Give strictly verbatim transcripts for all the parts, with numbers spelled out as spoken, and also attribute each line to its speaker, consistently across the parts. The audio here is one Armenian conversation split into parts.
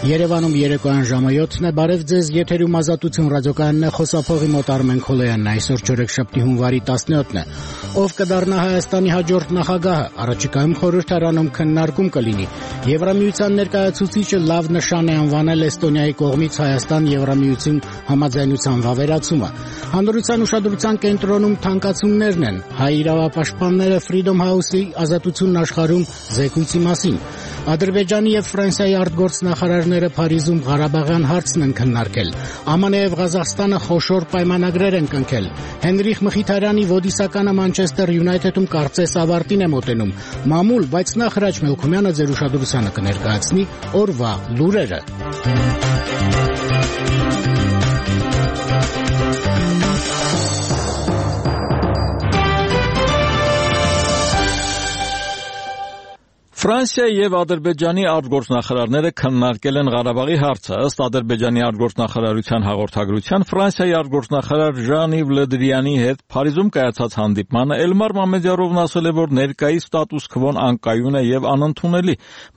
Speaker 1: Երևանում երեկոյան ժամը յոթն է, բարև ձեզ, եթերում Ազատություն ռադիոկայանն է, խոսափողի մոտ Արմեն Քոլոյանն է, այսօր չորեքշաբթի հունվարի տասնյոթն է։ Ով կդառնա Հայաստանի հաջորդ նախագահը, առաջիկայում խորհրդարանում քննարկում կլինի։ Եվրամիության ներկայացուցիչը լավ նշան է անվանել Էստոնիայի կողմից Հայաստան-Եվրամիություն համաձայնության վավերացումը։ Հանրության ուշադրության կենտրոնում թանկացումներն են, հայ իրավապաշտպանները Freedom House-ի Ազատությունն աշխարհում զեկույցի մասին։ Ադրբեջանի եւ Ֆրանսիայի արտգործնախարարները Փարիզում Ղարաբաղյան հարցն են քննարկել։ ԱՄՆ-ը եւ Ղազախստանը խոշոր պայմանագրեր են կնքել։ Հենրիխ Մխիթարյանի ոդիսականը Մանչեսթեր Յունայթեդում կարծես ավարտին է մոտենում։ Մամուլ, բայց նախ Հրաչ Մելքումյանը ձեր ուշադրությանը կներկայացնի օրվա լուրերը։
Speaker 2: Ֆրանսիայի եւ Ադրբեջանի արտգործնախարարները քննարկել են Ղարաբաղի հարցը։ Ըստ Ադրբեջանի արտգործնախարարության հաղորդագրության, Ֆրանսիայի արտգործնախարար Ժան-Իվ Լը Դրիանի հետ Փարիզում կայացած հանդիպմանը Էլմար Մամեդյարովն ասել է, որ ներկայիս ստատուս քվոն անկայուն է եւ անընդունելի։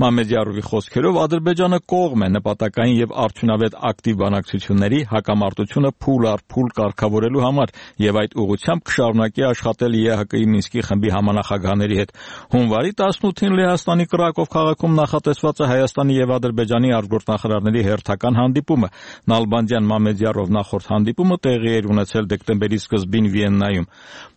Speaker 2: Մամեդյարովի խոսքերով Ադրբեջանը կողմ է նպատակային եւ արդյունավետ ակտիվ բանակցությունների, հակամարտությունը փուլ առ փուլ կարգավորելու համար եւ այդ ուղղությամբ կշարունակի աշխատել ԵՀԿ-ի Մինսկի խմբի համանախագահների հետ։ Հունվարի տասնութին Լեհաստանի Կրակով քաղաքում նախատեսված է Հայաստանի եւ Ադրբեջանի արտգործնախարարների հերթական հանդիպումը։ Նալբանդյան Մամեդյարով նախորդ հանդիպումը տեղի էր ունեցել դեկտեմբերի սկզբին Վիեննայում։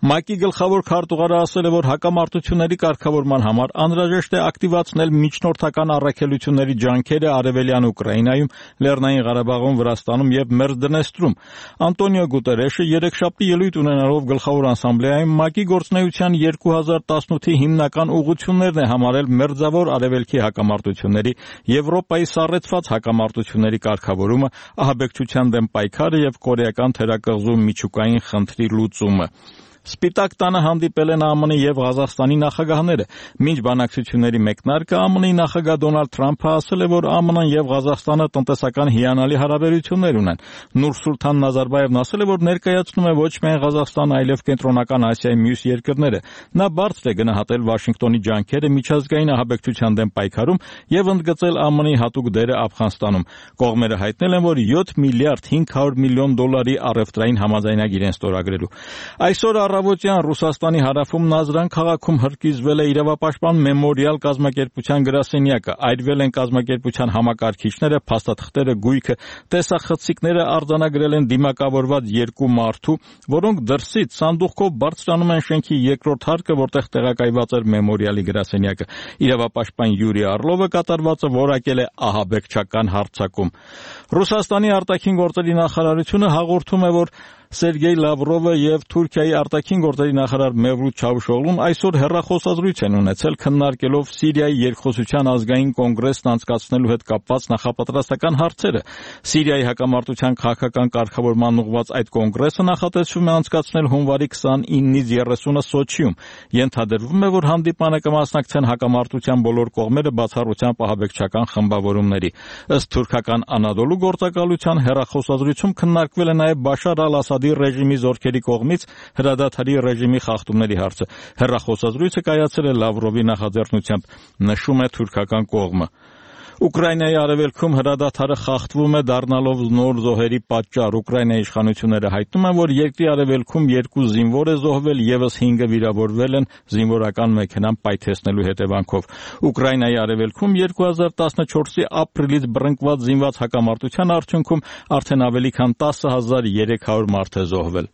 Speaker 2: ՄԱԿ-ի գլխավոր քարտուղարը ասել է, որ հակամարտությունների կարգավորման համար անհրաժեշտ է ակտիվացնել միջնորդական առաքելությունների ջանքերը Արևելյան Ուկրաինայում, Լեռնային Ղարաբաղում, Վրաստանում եւ Մերձդնեստրում։ Անտոնիո Գուտերեշը երեքշաբթի ելույթ ունենալով գլխավոր ասամբլեայում ՄԱԿ-ի գործունեության երկու հազար տասնութի հիմնական ուղղություններն է համարել Մերձավոր Արևելքի հակամարտությունների, Եվրոպայի սառեցված հակամարտությունների կարգավորումը, ահաբեկչության դեմ պայքարը եւ կորեական թերակղզու միջուկային խնդրի լուծումը։ Սպիտակ տանը հանդիպել են ԱՄՆ-ի եւ Ղազախստանի նախագահները։ Մինչ բանակցությունների մեկնարկը ԱՄՆ-ի նախագահ Դոնալդ Թրամփը ասել է, որ ԱՄՆ-ն եւ Ղազախստանը տնտեսական հիանալի հարաբերություններ ունեն։ Նուրսուլթան Նազարբաևն ասել է, որ ներկայացնում է ոչ միայն Ղազախստանը, այլև Կենտրոնական Ասիայի մյուս երկրները։ Նա բարձր է գնահատել Վաշինգտոնի ջանքերը միջազգային ահաբեկչության դեմ պայքարում եւ ընդգծել ԱՄՆ-ի հատուկ դերը Աֆղանստանում։ Կողմերը հայտնել են, որ յոթ միլիարդ հինգ հարյուր միլիոն դոլարի առևտրային համաձայնագիր են ստորագրելու։ Այսօր առավոտյան Ռուսաստանի հարավում Նազրան քաղաքում հրկիզվել է իրավապաշտպան Մեմորիալ կազմակերպության գրասենյակը, այրվել են կազմակերպության համակարգիչները, փաստաթղթերը, գույքը, տեսախցիկները արձանագրել են դիմակավորված երկու մարդու, որոնք դրսից սանդուղքով բարձրանում են շենքի երկրորդ հարկը, որտեղ տեղակայված էր Մեմորիալի գրասենյակը։ Իրավապաշտպան Յուրի Արլովը կատարվածը որակել է ահաբեկչական հարձակում։ Ռուսաստանի արտաքին գործերի նախարարությունը հաղորդում է, որ Սերգեյ Լավրովը եւ Թուրքիայի արտաքին գործերի նախարար Մևլութ Չավուշօղլուն այսօր հեռախոսազրույց են ունեցել, քննարկելով Սիրիայի երկխոսության ազգային կոնգրեսն անցկացնելու հետ կապված նախապատրաստական հարցերը։ Սիրիայի հակամարտության քաղաքական կարգավորման ուղղված այդ կոնգրեսը նախատեսվում է անցկացնել հունվարի քսանինից երեսունը Սոչիում։ Ենթադրվում է, որ հանդիպանը կմասնակցեն հակամարտության բոլոր կողմերը բացառությամբ ահաբեկչական խմբավորումների։ Ըստ թուրքական Անադոլու գործակալության հեռախոսազրույցում քննարկվել է նաև Բաշար ալ-Ասադի ռեժիմի զորքերի կողմից հրադադարի ռեժիմի խախտումների հարցը։ Հեռախոսազրույցը կայացել է Լավրովի նախաձեռնությամբ, նշում է թուրքական կողմը։ Ուկրաինայի արևելքում հրադադարը խախտվում է, դառնալով նոր զոհերի պատճառ։ Ուկրաինայի իշխանությունները հայտնում են, որ երկրի արևելքում երկու զինվոր է զոհվել, եւս հինգը վիրավորվել են զինվորական մեքենան պայթեցնելու հետևանքով։ Ուկրաինայի արևելքում երկու հազար տասնչորսի ապրիլից բռնկված զինված հակամարտության արդյունքում արդեն ավելի քան տասը հազար երեք հարյուր մարդ է զոհվել։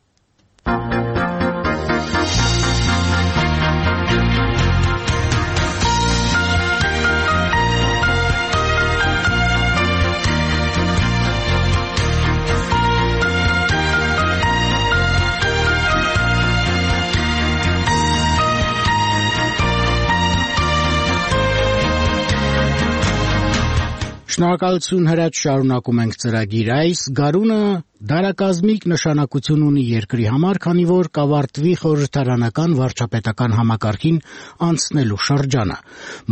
Speaker 1: Շնորհակալություն Հրաչ, շարունակում ենք ծրագիր այս գարունը Դարակազմիկ նշանակություն ունի երկրի համար, քանի որ կավարտվի խորհրդարանական վարչապետական համակարգին անցնելու շրջանը։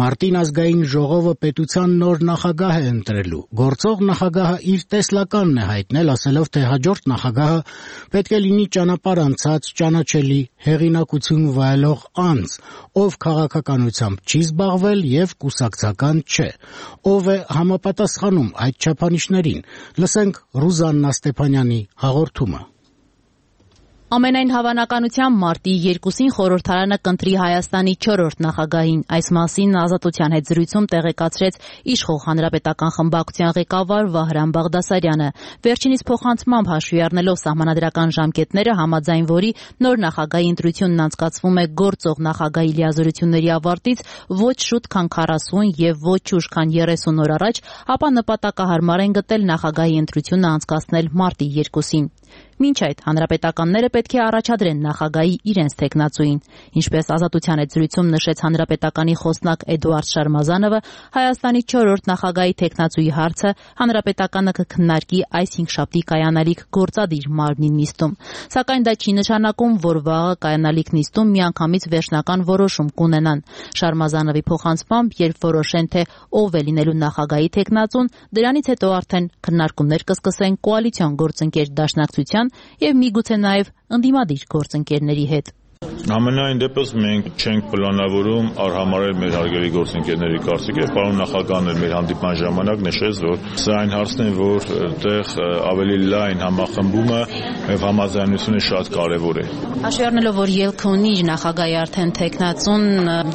Speaker 1: Մարտին ազգային ժողովը պետության նոր նախագահ է ընտրելու։ Գործող նախագահը իր տեսլականն է հայտնել, ասելով, թե հաջորդ նախագահը պետք է լինի ճանապարհ անցած, ճանաչելի, հեղինակություն վայելող անձ, ով քաղաքականությամբ չի զբաղվել եւ կուսակցական չէ։ Ով է համապատասխանում այդ չափանիշներին։ Լսենք Ռուզաննա Ստեփանյանի հաղորդումը։
Speaker 3: Ամենայն հավանականությամբ մարտի երկուսին խորհրդարանը կընտրի Հայաստանի չորրորդ նախագահին։ Այս մասին Ազատության հետ զրույցում տեղեկացրեց իշխող հանրապետական խմբակցության ղեկավար Վահրամ Բաղդասարյանը։ Վերջինիս փոխանցմամբ հաշվի առնելով սահմանադրական ժամկետները, համաձայն որի նոր նախագահի ընտրությունն անցկացվում է գործող նախագահի լիազորությունների ավարտից ոչ շուտ, քան քառասուն եւ ոչ ուշ, քան երեսուն օր առաջ, ապա նպատակահարմար են գտել նախագահի ընտրությունը անցկացնել մարտի երկուսին։ Մինչ այդ հանրապետականները պետք է առաջադրեն նախագահի իրենց թեկնածուին։ Ինչպես Ազատության հետ զրույցում նշեց հանրապետականի խոսնակ Էդուարդ Շարմազանովը, Հայաստանի չորրորդ նախագահի թեկնածուի հարցը հանրապետականը կքննարկի այս հինգշաբթի կայանալիք գործադիր մարմնի նիստում։ Սակայն դա չի նշանակում, որ վաղը կայանալիք նիստում միանգամից վերջնական որոշում կունենան։ Շարմազանովի փոխանցմամբ, երբ որոշեն, թե ով է լինելու նախագահի թեկնածուն, դրանից հետո արդեն քննարկումներ կսկսեն կոալիցիոն գործընկեր դաշնակցության եւ միգուցե նաեւ ընդդիմադիր գործընկերների հետ։
Speaker 4: Ամենայն դեպս մենք չենք պլանավորում արհամարել մեր հարգելի գործընկերների կարծիքը։ Պարոն նախագահն էլ մեր հանդիպման ժամանակ նշեց, որ սա այն հարցն է, որ այդտեղ ավելի լայն համախմբումը եւ համաձայնությունը շատ կարեւոր է։
Speaker 3: Հաշվի առնելով, որ ելք ունի նախագահի արդեն թեկնածուն,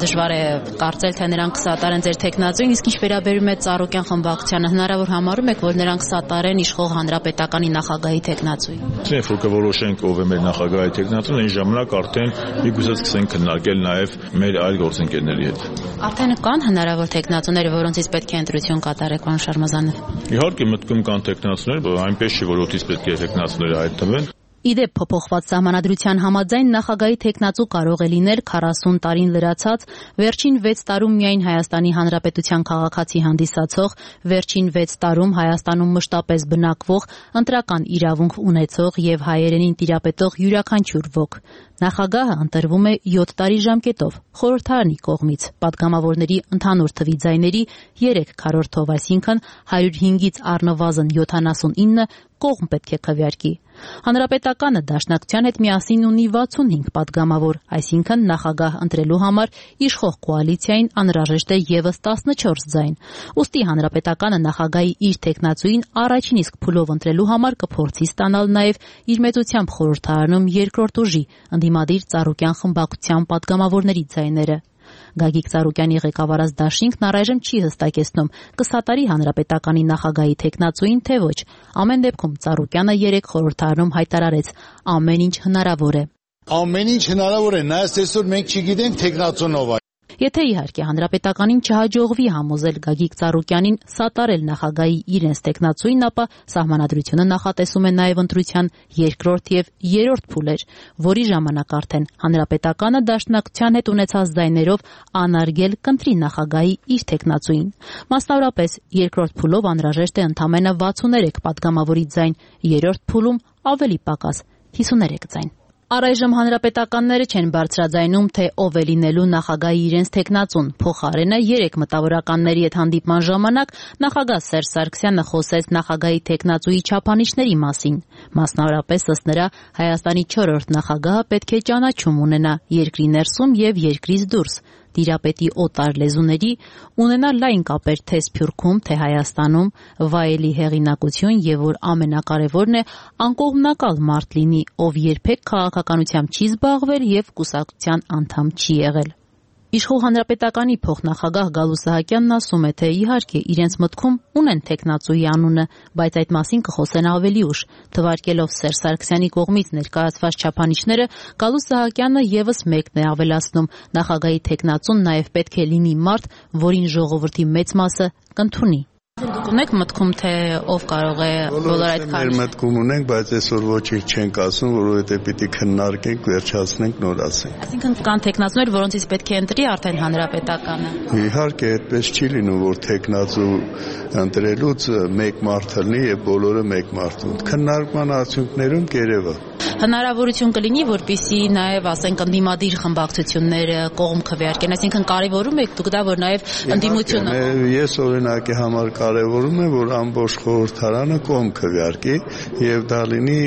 Speaker 3: դժվար է կարծել, թե նրանք կսատարեն ձեր թեկնածուին, իսկ ինչ վերաբերում է Ծառուկյան խմբակցությանը, հնարավոր համարում եք, որ նրանք կսատարեն իշխող հանրապետականի նախագահի թեկնածուին։
Speaker 4: Եթե որ կորոշենք ով է մեր նախագահի թեկնածուն, այն ժամանակ արդեն միգուցե սկսենք քննարկել նաև մեր այլ գործընկերների հետ։
Speaker 3: Արդեն կան հնարավոր թեկնածուներ, որոնցից պետք է ընտրություն կատարեք, պարոն Շարմազանով։
Speaker 4: Իհարկե մտքում կան թեկնածուներ, բայց այնպես չի, որ օդից պետք է թեկնածուները հայտնվեն։
Speaker 3: Իդեպ փոփոխված սահմանադրության համաձայն նախագահի թեկնածու կարող է լինել քառասուն տարին լրացած, վերջին վեց տարում միայն Հայաստանի Հանրապետության քաղաքացի հանդիսացող, վերջին վեց տարում Հայաստանում մշտապես բնակվող, ընտրական իրավունք ունեցող եւ հայերենին տիրապետող յուրաքանչյուր ոք։ Նախագահը ընտրվում է յոթ տարի ժամկետով խորհրդարանի կողմից, падգամավորների ընդհանուր թվի ձայների երեք քառորդով, այսինքն հարյուր հինգից առնվազն յոթանասունինը կողմ պետք է քվեարկի։ Հանրապետականը դաշնակցության հետ միասին ունի վաթսունհինգ падգամավոր, այսինքն նախագահ ընտրելու համար իշխող կոալիցիային անհրաժեշտ է ևս տասնչորս ձայն։ Ուստի հանրապետականը նախագահի իր թեկնածուին առաջին իսկ փուլով ընտրելու համար կփորձի ստանալ նաև իր մեծությամբ խորհրդարանում երկրորդ ուժի ընդդիմադիր Ծառուկյան խմբակցության падգամավորների ձայները։ Գագիկ Ծառուկյանի ղեկավարած դաշինքն առայժմ չի հստակեցնում կսատարի հանրապետականի նախագահի թեկնածուին, թե ոչ։ Ամեն դեպքում Ծառուկյանը երեկ խորհրդարանում հայտարարեց՝ ամեն ինչ հնարավոր է։
Speaker 5: Ամեն ինչ հնարավոր է, նայած այսօր մենք չգիտենք թեկնածունով։
Speaker 3: Եթե իհարկե հանրապետականին չհաջողվի համոզել Գագիկ Ծառուկյանին սատարել նախագահի իրենց թեկնածուին, ապա սահմանադրությունը նախատեսում է նաև ընտրության երկրորդ եւ երրորդ փուլեր, որի ժամանակ արդեն հանրապետականը դաշնակցության հետ ունեցած ձայներով անարգել կընտրի նախագահի իր թեկնածուին։ Մասնավորապես երկրորդ փուլով անհրաժեշտ է ընդամենը վաթսուներեք падգամավորի ձայն, երրորդ փուլում ավելի պակաս հիսուներեք ձայն։ Առայժմ հանրապետականները չեն բարձրաձայնում, թե ով է լինելու նախագահի իրենց թեկնածուն։ Փոխարենը երեք մտավորականների հետ հանդիպման ժամանակ նախագահ Սերժ Սարգսյանը խոսեց նախագահի թեկնածուի չափանիշների մասին։ Մասնավորապես ըստ նրա Հայաստանի չորրորդ նախագահը պետք է ճանաչում ունենա երկրի ներսում եւ երկրից դուրս, տիրապետի օտար լեզուների, ունենա լայն կապեր թե Սփյուռքում, թե Հայաստանում, վայելի հեղինակություն եւ որ ամենակարևորն է անկողմնակալ մարդ լինի, ով երբեք քաղաքականությամբ չի զբաղվել եւ կուսակցության անդամ չի եղել։ Իշխող հանրապետականի փոխնախագահ Գալու Սահակյանն ասում է, թե իհարկե իրենց մտքում ունեն թեկնածուի անունը, բայց այդ մասին կխոսեն ավելի ուշ։ Թվարկելով Սերժ Սարգսյանի կողմից ներկայացված չափանիշները, Գալու Սահակյանը եւս մեկն է ավելացնում. նախագահի թեկնածուն նաեւ պետք է լինի մարդ, որին ժողովրդի մեծ մասը կընդունի։ Դուք ունեք մտքում, թե ով կարող է բոլոր այդ
Speaker 6: քարը։ Մեր մտքում ունենք, բայց այսօր ոչինչ չենք ասում, որովհետև պիտի քննարկենք, վերջացնենք, նոր ասենք։
Speaker 3: Այսինքն կան տեխնացուներ, որոնցից պետք է ընտրի արդեն հանրապետականը։
Speaker 6: Իհարկե, այդպես չի լինում, որ տեխնացու ընտրելուց մեկ մարդ լինի եւ բոլորը մեկ մարդ։ Քննարկման արդյունքներում կերևա։
Speaker 3: Հնարավորություն կլինի, որպեսզի նաև, ասենք, ընդդիմադիր խմբակցությունները կողմ քվեարկեն, այսինքն կարևորում եք դուք դա, որ նաև ընդդիմությունը։
Speaker 6: Ես օրինակի համար կարևորում եմ, որ ամբողջ խորհրդարանը կողմ քվեարկի եւ դա լինի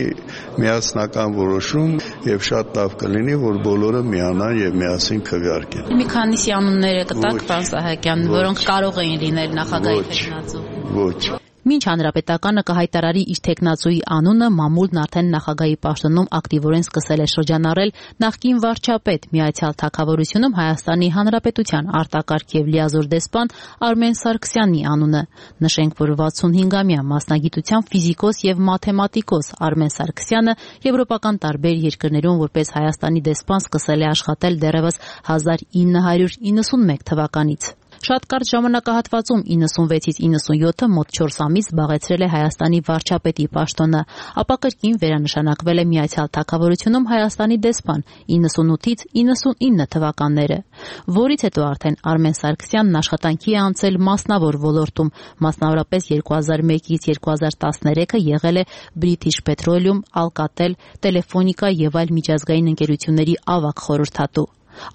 Speaker 6: միասնական որոշում եւ շատ լավ կլինի, որ բոլորը միանան եւ միասին քվեարկեն։
Speaker 3: Մի քանիսի անունները կտակ, պարոն Սահակյան, որոնք կարող էին լինել նախագահի տեխնացու։
Speaker 6: Ոչ։
Speaker 3: Մինչ հանրապետականը կհայտարարի իր տեխնացուի անունը, մամուլն արդեն նախագահի պաշտոնում ակտիվորեն սկսել է շրջանառել նախկին վարչապետ Միացյալ Թագավորությունում Հայաստանի Հանրապետության արտակարգ եւ լիազոր դեսպան Արմեն Սարգսյանի անունը։ Նշենք, որ վաթսունհինգամյա մասնագիտությամբ ֆիզիկոս եւ մաթեմատիկոս Արմեն Սարգսյանը եվրոպական տարբեր երկրներում որպես Հայաստանի դեսպան սկսել է աշխատել դեռևս հազար ինը հարյուր իննսունմեկ թվականից։ Շատ կարճ ժամանակահատվածում իննսունվեցից իննսունյոթը մոտ չորս ամիս զբաղեցրել է Հայաստանի վարչապետի պաշտոնը, ապա կրկին վերանշանակվել է Միացյալ Թագավորությունում Հայաստանի դեսպան իննսունութից իննսունինը թվականները, որից հետո արդեն Արմեն Սարգսյանն աշխատանքի է անցել մասնավոր ոլորտում, մասնավորապես երկու հազար մեկից երկու հազար տասներեքը եղել է British Petroleum, Alcatel, Telefónica եւ այլ միջազգային ընկերությունների ավագ խորհրդատու։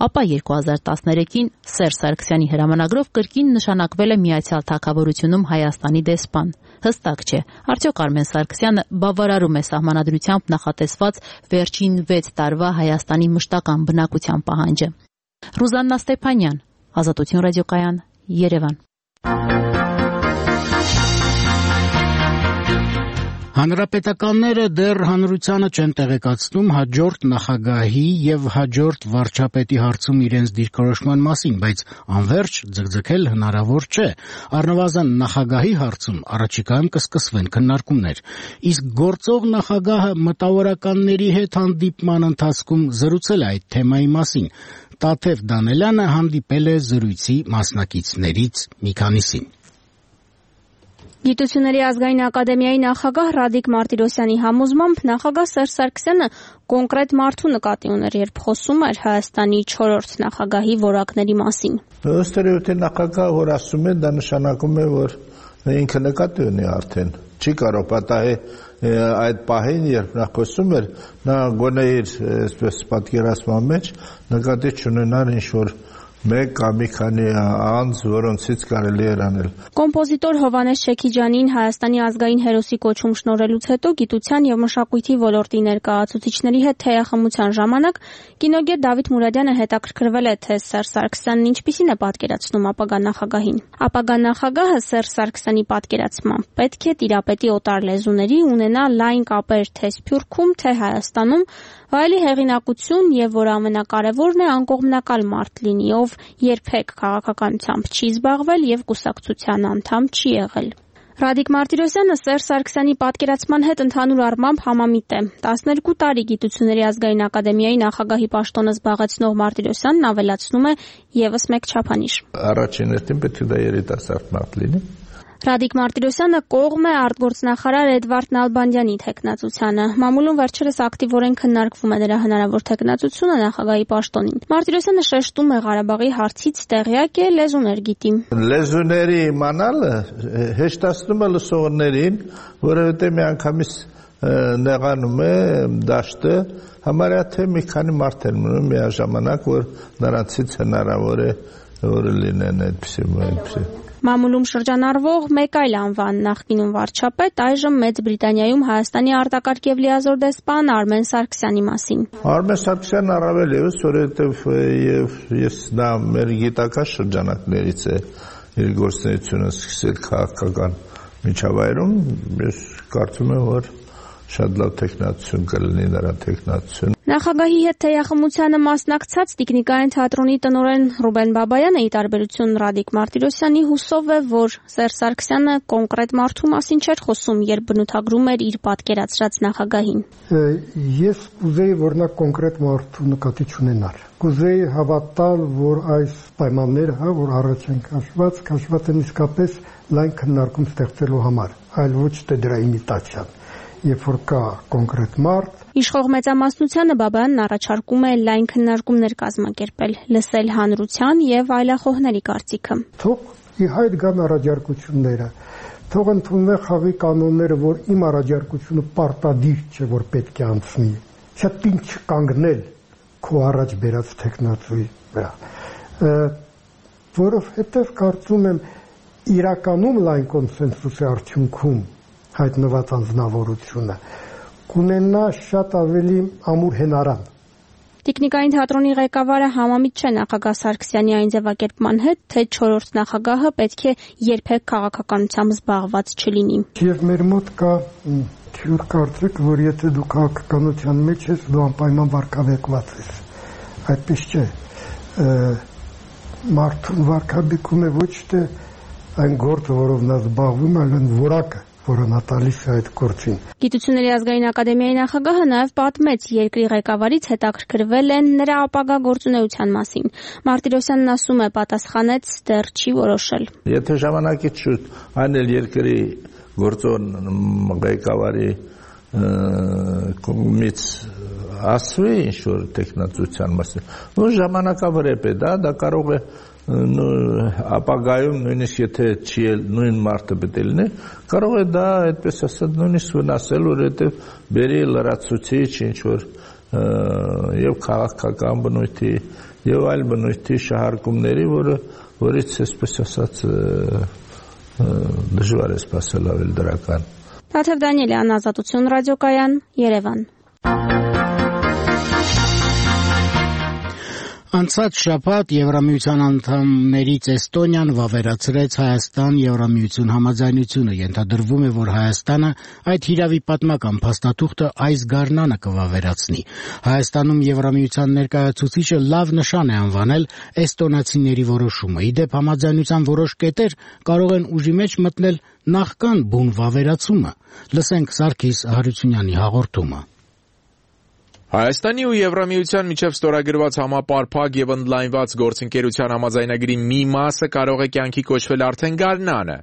Speaker 3: Ապա երկու հազար տասներեքին Սերժ Սարգսյանի հրամանագրով կրկին նշանակվել է Միացյալ Թագավորությունում Հայաստանի դեսպան։ Հստակ չէ, արդյոք Արմեն Սարգսյանը բավարարում է սահմանադրությամբ նախատեսված վերջին վեց տարվա Հայաստանի մշտական բնակության պահանջը։ Ռուզաննա Ստեփանյան, Ազատություն ռադիոկայան, Երևան։
Speaker 1: Հանրապետականները դեռ հանրությանը չեն տեղեկացնում հաջորդ նախագահի եւ հաջորդ վարչապետի հարցում իրենց դիրքորոշման մասին, բայց անverջ ձգձգել հնարավոր չէ։ Առնվազն նախագահի հարցում առաջիկայում կսկսվեն քննարկումներ։ Իսկ գործող նախագահը մտավորականների հետ հանդիպման ընթացքում զրուցել է այդ թեմայի մասին։ Տաթև Դանելյանը հանդիպել է զրույցի մասնակիցներից մի քանիսին։
Speaker 7: Գիտությունների ազգային ակադեմիայի նախագահ Ռադիկ Մարտիրոսյանի համոզմամբ նախագահ Սերժ Սարգսյանը կոնկրետ մարդու նկատի ուներ, երբ խոսում էր Հայաստանի չորրորդ նախագահի որակների մասին։
Speaker 8: Ըստ էության նախագահը որ ասում է, դա նշանակում է, որ ինքը նկատի ունի արդեն։ Չի կարող պատահի այդ պահին, երբ նա խոսում էր, նա գոնե իր այսպես պատկերացման մեջ նկատի չունենար ինչ-որ մեկ կամ մի քանի անձ, որոնցից կարելի էր անել։
Speaker 7: Կոմպոզիտոր Հովհաննես Չեքիջյանին Հայաստանի ազգային հերոսի կոչում շնորհելուց հետո գիտության եւ մշակույթի ոլորտի ներկայացուցիչների հետ թեյախմության ժամանակ կինոգետ Դավիթ Մուրադյանը հետաքրքրվել է, թե Սերժ Սարգսյանն ինչպիսին է պատկերացնում ապագա նախագահին։ Ապագա նախագահը Սերժ Սարգսյանի պատկերացմամբ պետք է տիրապետի օտար լեզուների, ունենա լայն կապեր թե Սփյուռքում, թե Հայաստանում, վայելի հեղինակություն եւ որ ամենակարևորն է անկողմնակալ մարդ լինի, ով երբեք քաղաքականությամբ չի զբաղվել եւ կուսակցության անդամ չի եղել։ Ռադիկ Մարտիրոսյանը Սերժ Սարգսյանի պատկերացման հետ ընդհանուր առմամբ համամիտ է։ տասներկու տարի Գիտությունների ազգային ակադեմիայի նախագահի պաշտոնը զբաղեցնող Մարտիրոսյանն ավելացնում է եւս մեկ չափանիշ։
Speaker 8: Առաջին հերթին պետք է դա երիտասարդ մարդ լինի։
Speaker 7: Ռադիկ Մարտիրոսյանը կողմ է արտգործնախարար Էդվարդ Նալբանդյանի թեկնածությանը։ Մամուլում վերջերս ակտիվորեն քննարկվում է նրա հնարավոր թեկնածությունը նախագահի պաշտոնին։ Մարտիրոսյանը շեշտում է Ղարաբաղի հարցից տեղյակ է, լեզուներ գիտի։
Speaker 8: Լեզուների իմանալը հեշտացնում է լսողներին, որովհետև միանգամից նեղանում է դաշտը, համարյա թե մի քանի մարդ են մնում միաժամանակ, որ նրանցից հնարավոր է որ լինեն այդպիսի։
Speaker 7: Մամուլում շրջանառվող մեկ այլ անվան նախկինում վարչապետ այժմ Մեծ Բրիտանիայում Հայաստանի արտակարգ եւ լիազոր դեսպան Արմեն Սարգսյանի մասին։
Speaker 8: Արմեն Սարգսյանն առավել եւս, որովհետեւ եւ ես նա մեր գիտական շրջանակներից է իր գործունեությունը սկսել քաղաքական միջավայրում, ես կարծում եմ, որ շատ լավ տեխնացություն կլինի նրա տեխնացություն։
Speaker 7: Նախագահի հետ թեյախմությանը մասնակցած Տիկնիկային թատրոնի տնօրեն Ռուբեն Բաբայանը, ի տարբերություն Ռադիկ Մարտիրոսյանի, հուսով է, որ Սերժ Սարգսյանը կոնկրետ մարդու մասին չէր խոսում, երբ բնութագրում էր իր պատկերացրած նախագահին։
Speaker 9: Ես կուզեի, որ նա կոնկրետ մարդու նկատի չունենար։ Կուզեի հավատալ, որ այս պայմանները, հա, որ առաջ են քաշված, քաշված են իսկապես լայն քննարկում ստեղծելու համար, այլ ոչ թե դրա իմիտացիան։ Երբ որ կա կոնկրետ մարդ,
Speaker 7: Իշխող մեծամասնությանը Բաբայանն առաջարկում է լայն քննարկումներ կազմակերպել, լսել հանրության եւ այլախոհների կարծիքը։
Speaker 9: Թող ի հայտ գան առաջարկությունները, թող ընդունվեն խաղի կանոնները, որ իմ առաջարկությունը պարտադիր չէ, որ պետք է անցնի, չէ ինչ կանգնել քո առաջ բերած տեխնացուի վրա, որովհետեւ կարծում եմ իրականում լայն կոնսենսուսի արդյունքում հայտնված անձնավորությունը կունենա շատ ավելի ամուր հենարան։
Speaker 7: Տիկնիկային թատրոնի ղեկավարը համամիտ չէ նախագահ Սարգսյանի այն ձևակերպման հետ, թե չորրորդ նախագահը պետք է երբեք քաղաքականությամբ զբաղված չլինի։
Speaker 9: Եվ մեր մոտ կա թյուր կարծիք, որ եթե դու քաղաքականության մեջ ես, դու անպայման վարկաբեկված ես։ Այդպես չէ։ Մարդուն վարկաբեկում է ոչ թե այն գործը, որով նա զբաղվում է, այլ այն որակը, որը նա տալիս է այդ գործին։
Speaker 7: Գիտությունների ազգային ակադեմիայի նախագահը նաև պատմեց երկրի ղեկավարից հետաքրքրվել են նրա ապագա գործունեության մասին։ Մարտիրոսյանն ասում է, պատասխանեց դեռ չի որոշել։
Speaker 8: Եթե ժամանակից շուտ այն էլ երկրի գործոն ղեկավարի կողմից ասվի ինչ-որ տեխնացության մասին, որ ժամանակավրեպ է, դա, դա կարող է ապագայում նույնիսկ եթե չի նույն մարդը պետք է լինի, կարող է դա այդպես ասած նույնիսկ վնասել, որովհետև բերի լրացուցիչ ինչ-որ եւ քաղաքական բնույթի եւ այլ բնույթի շահարկումների, որը որից այսպես ասած դժվար է սպասել ավել դրական։
Speaker 7: Թաթև Դանիելյան, Ազատություն ռադիոկայան, Երևան։
Speaker 1: Անցած շաբաթ Եվրամիության անդամներից Էստոնիան վավերացրեց Հայաստան-Եվրամիություն համաձայնությունը, ենթադրվում է, որ Հայաստանը այդ հիրավի պատմական փաստաթուղթը այս գարնանը կվավերացնի։ Հայաստանում Եվրամիության ներկայացուցիչը լավ նշան է անվանել էստոնացիների որոշումը։ Ի դեպ, համաձայնության որոշ կետեր կարող են ուժի մեջ մտնել նախքան բուն վավերացումը։ Լսենք Սարգիս Հարությունյանի հաղորդումը։
Speaker 10: Հայաստանի ու Եվրամիության միջև ստորագրված համապարփակ եւ ընդլայնված գործընկերության համաձայնագրի մի մասը կարող է կյանքի կոչվել արդեն գարնանը։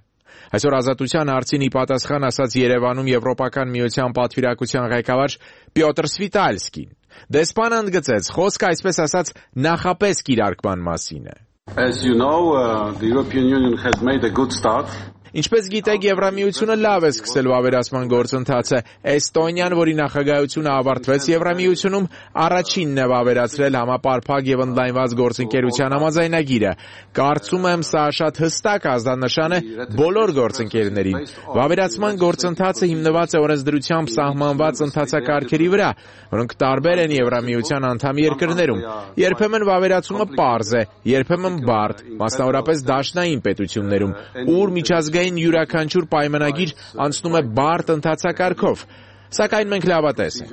Speaker 10: Այսօր Ազատության հարցին ի պատասխան ասաց Երևանում Եվրոպական միության պատվիրակության ղեկավար Պյոտր Սվիտալսկին։ Դեսպանը ընդգծեց, խոսքը այսպես ասած նախապես կիրարկման մասին է։
Speaker 11: As you know, uh, the European Union has made a good start.
Speaker 10: Ինչպես գիտեք, Եվրամիությունը լավ է սկսել վավերացման գործընթացը։ Էստոնիան, որի նախագահությունը ավարտվեց Եվրամիությունում, առաջինն է վավերացրել համապարփակ եւ ընդլայնված գործընկերության համաձայնագիրը։ Կարծում եմ, սա շատ հստակ ազդանշան է բոլոր գործընկերներին։ Վավերացման գործընթացը հիմնված է օրենսդրությամբ սահմանված ընթացակարգերի վրա, որոնք տարբեր են Եվրամիության անդամ երկրներում։ Երբեմն վավերացումը պարզ է, երբեմն բարդ, մասնավորապես դաշնային պետություններում, ուր միջազգային յուրաքանչյուր պայմանագիր անցնում է բարդ ընթացակարգով, սակայն մենք լավատես ենք։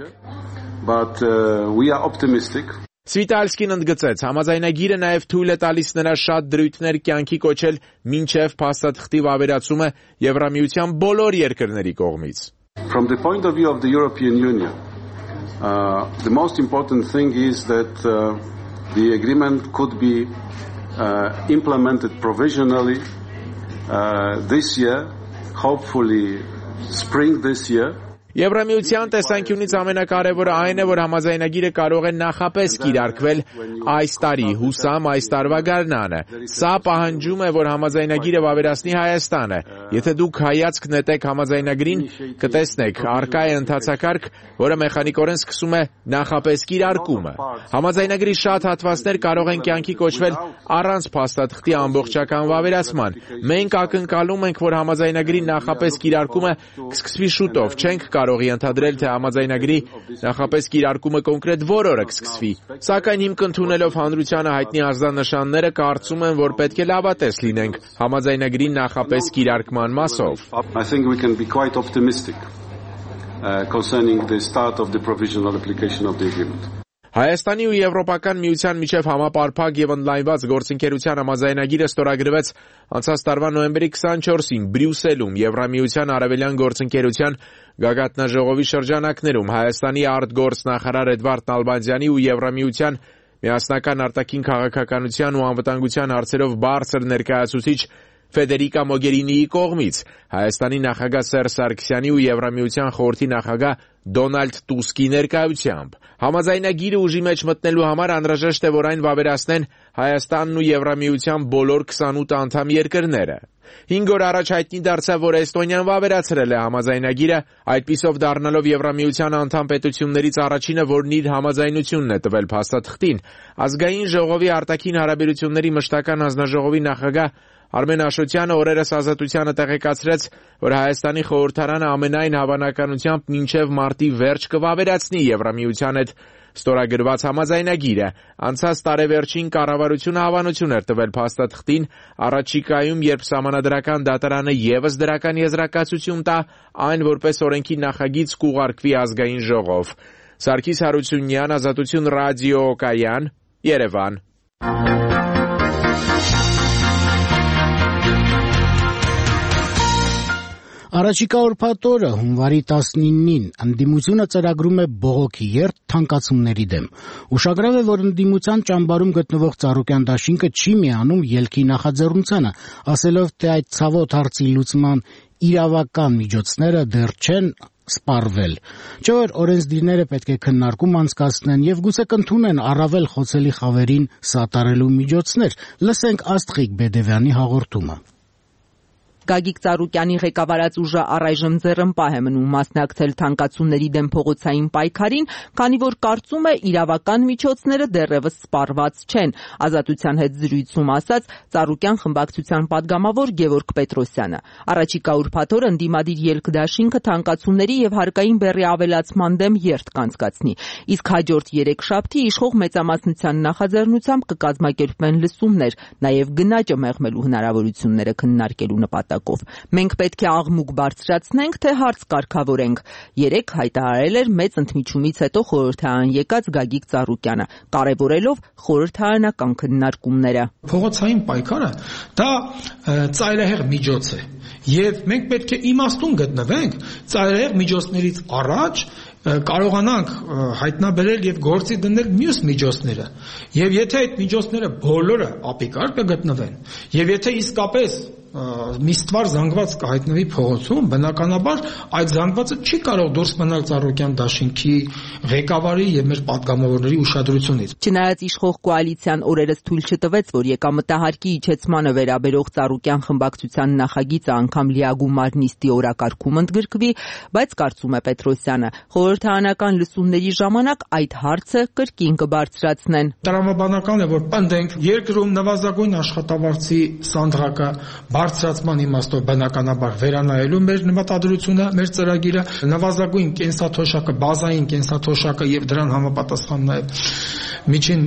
Speaker 11: But uh, we are optimistic.
Speaker 10: Սվիտալսկին ընդգծեց, համաձայնագիրը նաև թույլ է տալիս նրա շատ դրույթներ կյանքի կոչել մինչև փաստաթղթի վավերացումը Եվրամիության բոլոր երկրների կողմից։
Speaker 11: From the point of view of the European Union, uh, the most important thing is that uh, the agreement could be uh, implemented provisionally uh, this year, hopefully spring this year.
Speaker 10: Եվրամիության տեսանկյունից ամենակարևորը այն է, որ համաձայնագիրը կարող է նախապես կիրարկվել այս տարի, հուսամ այս տարվա գարնանը։ Սա պահանջում է, որ համաձայնագիրը վավերացնի Հայաստանը։ Եթե դուք հայացք նետեք համաձայնագրին, կտեսնեք, առկա է ընթացակարգ, որը մեխանիկորեն սկսում է նախապես կիրարկումը։ Համաձայնագրի շատ հատվածներ կարող են կյանքի կոչվել առանց փաստաթղթի ամբողջական վավերացման։ Մենք ակնկալում ենք, որ համաձայնագրի նախապես կիրարկումը կսկսվի շուտով, չենք կարող ենթադրել, թե համաձայնագրի նախապես կիրարկումը կոնկրետ որ օրը կսկսվի։ Սակայն հիմք ընդունելով հանրությանը հայտնի ազդանշանները, կարծում եմ, որ պետք է լավատես լինենք համաձայնագրի նախապես կիրարկման մասով։
Speaker 11: I think we can be quite optimistic. uh, concerning the start of the provisional application of the agreement.
Speaker 10: Հայաստանի ու Եվրոպական միության միջև համապարփակ եւ ընդլայնված գործընկերության համաձայնագիրը ստորագրվեց անցած տարվա նոյեմբերի քսանչորսին Բրյուսելում Եվրամիության արևելյան գործընկերության գագաթնաժողովի շրջանակներում Հայաստանի արտգործնախարար Էդվարդ Նալբանդյանի ու Եվրամիության միասնական արտաքին քաղաքականության ու անվտանգության հարցերով բարձր ներկայացուցիչ Ֆեդերիկա Մոգերինիի կողմից Հայաստանի նախագահ Սերժ Սարգսյանի ու Եվրամիության խորհրդի նախագահ Դոնալդ Տուսկի ներկայությամբ համաձայնագիրը ուժի մեջ մտնելու համար անհրաժեշտ է, որ այն վավերացնեն Հայաստանն ու Եվրամիության բոլոր քսանութ անդամ երկրները։ Հինգ օր առաջ հայտնի դարձավ, որ Էստոնիան վավերացրել է համաձայնագիրը, այդպիսով դառնալով Եվրամիության անդամ պետություններից առաջինը, որն իր համաձայնությունն է տվել փաստաթղթին։ Ազգային ժողովի արտաքին հարաբերությունների մշտական հանձնաժողովի նախագահ Արմեն Աշոտյանը օրերս Ազատությանը տեղեկացրեց, որ Հայաստանի խորհրդարանը ամենայն հավանականությամբ մինչև մարտի վերջ կվավերացնի Եվրամիության հետ ստորագրված համաձայնագիրը։ Անցած տարեվերջին կառավարությունը հավանություն էր տվել փաստաթղթին, առաջիկայում, երբ Սահմանադրական դատարանը ևս դրական եզրակացություն տա, այն որպես օրենքի նախագիծ կուղարկվի ազգային ժողով։ Սարգիս Հարությունյան, Ազատություն ռադիո կայան, Երևան։
Speaker 1: Առաջիկա ուրբաթ օրը հունվարի տասնինին ընդդիմությունը ծրագրում է բողոքի երթ թանկացումների դեմ։ Ուշագրավ է, որ ընդդիմության ճամբարում գտնվող Ծառուկյան դաշինքը չի միանում ելքի նախաձեռնությանը, ասելով, թե այդ ցավոտ հարցի լուծման իրավական միջոցները դեռ չեն սպառվել։ Չէ՞ որ օրենսդիրները պետք է քննարկում անցկացնեն եւ գուցե կընդունեն առավել խոցելի խավերին սատարելու միջոցներ։ Լսենք Աստղիկ Բեդևյանի հաղորդումը։
Speaker 12: Գագիկ Ծառուկյանի ղեկավարած ուժը առայժմ ձեռնպահ է մնում մասնակցել թանկացումների դեմ փողոցային պայքարին, քանի որ կարծում է իրավական միջոցները դեռևս սպառված չեն։ Ազատության հետ զրույցում ասաց Ծառուկյան խմբակցության падգամավոր Գևորգ Պետրոսյանը։ Առաջիկա ուրբաթ օր ընդդիմադիր ելք դաշինքը թանկացումների եւ հարկային բեռի ավելացման դեմ երթ կանցկացնի, իսկ հաջորդ երեքշաբթի իշխող մեծամասնության նախաձեռնությամբ կկազմակերպվեն լսումներ, նաեւ գնաճը մեղմելու հնարավորությունները քննարկելու նպատակով։ Մենք պետք է աղմուկ բարձրացնենք, թե հարց կարգավորենք։ Երեք հայտարարել էր մեծ ընդմիջումից հետո խորհրդարան եկած Գագիկ Ծառուկյանը, կարևորելով խորհրդարանական քննարկումները։
Speaker 13: Փողոցային պայքարը դա ծայրահեղ միջոց է, եւ մենք պետք է իմաստուն գտնվենք ծայրահեղ միջոցներից առաջ կարողանանք հայտնաբերել եւ գործի դնել մյուս միջոցները։ Եվ եթե այդ միջոցները բոլորը ապիկար կգտնվեն, եւ եթե իսկապես մի ստվար զանգված կհայտնվի փողոցում, բնականաբար այդ զանգվածը չի կարող դուրս մնալ Ծառուկյան դաշինքի ղեկավարի եւ մեր падգամավորների ուշադրությունից։
Speaker 12: Չնայած իշխող կոալիցիան օրերս թույլ չտվեց, որ եկամտահարկի իջեցմանը վերաբերող Ծառուկյան խմբակցության նախագիծը անգամ լիագումար նիստի օրակարգում ընդգրկվի, բայց կարծում է Պետրոսյանը, խորհրդարանական լսումների ժամանակ այդ հարցը կրկին կբարձրացնեն։
Speaker 13: Տրամաբանական է, որ պնդենք երկրում նվազագույն աշխատավարձի սանդղակը բարձրացման իմաստով բնականաբար վերանայելու մեր նպատադրությունը, մեր ծրագիրը, նվազագույն կենսաթոշակը, բազային կենսաթոշակը եւ դրան համապատասխան նաեւ միջին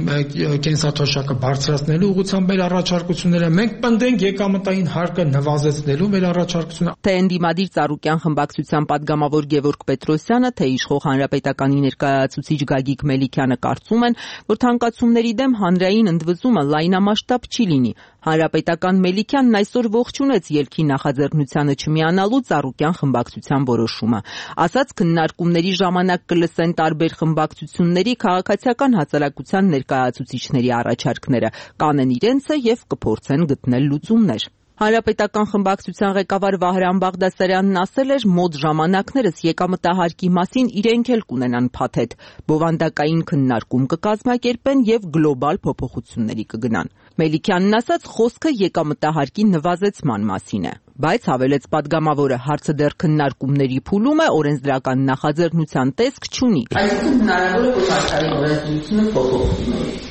Speaker 13: կենսաթոշակը բարձրացնելու ուղղությամբ մեր առաջարկությունները, մենք պնդենք եկամտային հարկը նվազեցնելու մեր առաջարկությունը։
Speaker 12: Թե ընդդիմադիր Ծառուկյան խմբակցության падգամավոր Գևորգ Պետրոսյանը, թե իշխող հանրապետականի ներկայացուցիչ Գագիկ Մելիքյանը կարծում են, որ թանկացումների դեմ հանրային ընդվզումը լայնամասշտաբ չի լինի։ Հանրապետական Մելիքյանն այսօր ողջունեց ելքի նախաձեռնությանը չմիանալու Ծառուկյան խմբակցության որոշումը։ Ասաց, քննարկումների ժամանակ կլսեն տարբեր խմբակցությունների քաղաքացիական հասարակության ներկայացուցիչների առաջարկները, կանեն իրենցը եւ կփորձեն գտնել լուծումներ։ Հանրապետական խմբակցության ղեկավար Վահրամ Բաղդասարյանն ասել էր, մոտ ժամանակներս եկամտահարկի մասին իրենք էլ կունենան փաթեթ, բովանդակային քննարկում կկազմակերպեն եւ գլոբալ փոփոխությունների կգնան։ Մելիքյանն ասաց, խոսքը եկամտահարկի նվազեցման մասին է, բայց հավելեց падգամավորը, հարցը դեռ քննարկումների փուլում է, օրենսդրական նախաձեռնության տեսք չունի։ Այսինքն հնարավոր է, որ աշխարհի օրենսդրությունը փոփոխվի։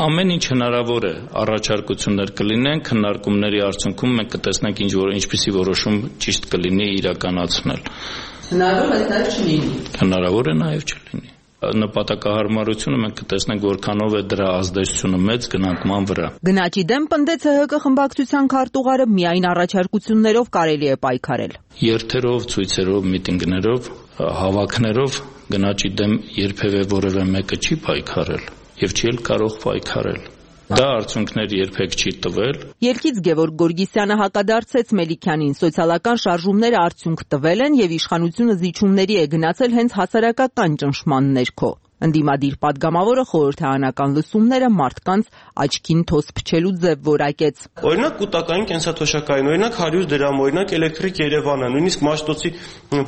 Speaker 14: Ամեն ինչ հնարավոր է, առաջարկություններ կլինեն, քննարկումների արդյունքում մենք կտեսնենք ինչ որ ինչպիսի որոշում ճիշտ կլինի իրականացնել։
Speaker 12: Հնարավոր է դա չլինի։
Speaker 14: Հնարավոր է նաև չլինի։ նպատակահարմարությունը մենք կտեսնենք որքանով է դրա ազդեցությունը մեծ գնանկման վրա։
Speaker 12: Գնաճի դեմ պնդեց ՀՀԿ խմբակցության քարտուղարը միայն առաջարկություններով կարելի է պայքարել։
Speaker 14: Երթերով, ցույցերով, միտինգներով, հավաքներով գնաճի դեմ երբևէ որևէ մեկը չի պայքարել եւ չի էլ կարող պայքարել։ Դա արդյունքներ երբեք չի տվել։
Speaker 12: Ելքից Գևորգ Գորգիսյանը հակադարձեց Մելիքյանին, սոցիալական շարժումները արդյունք տվել են եւ իշխանությունը զիջումների է գնացել հենց հասարակական ճնշման ներքո։ Ընդդիմադիր падգամավորը խորհրդարանական լսումները մարդկանց աչքին թոս փչելու ձև որակեց։
Speaker 15: Օրինակ կൂട്ടակային կենսաթոշակային, օրինակ հարյուր դրամ, օրինակ էլեկտրիկ Երևանը, նույնիսկ Մաշտոցի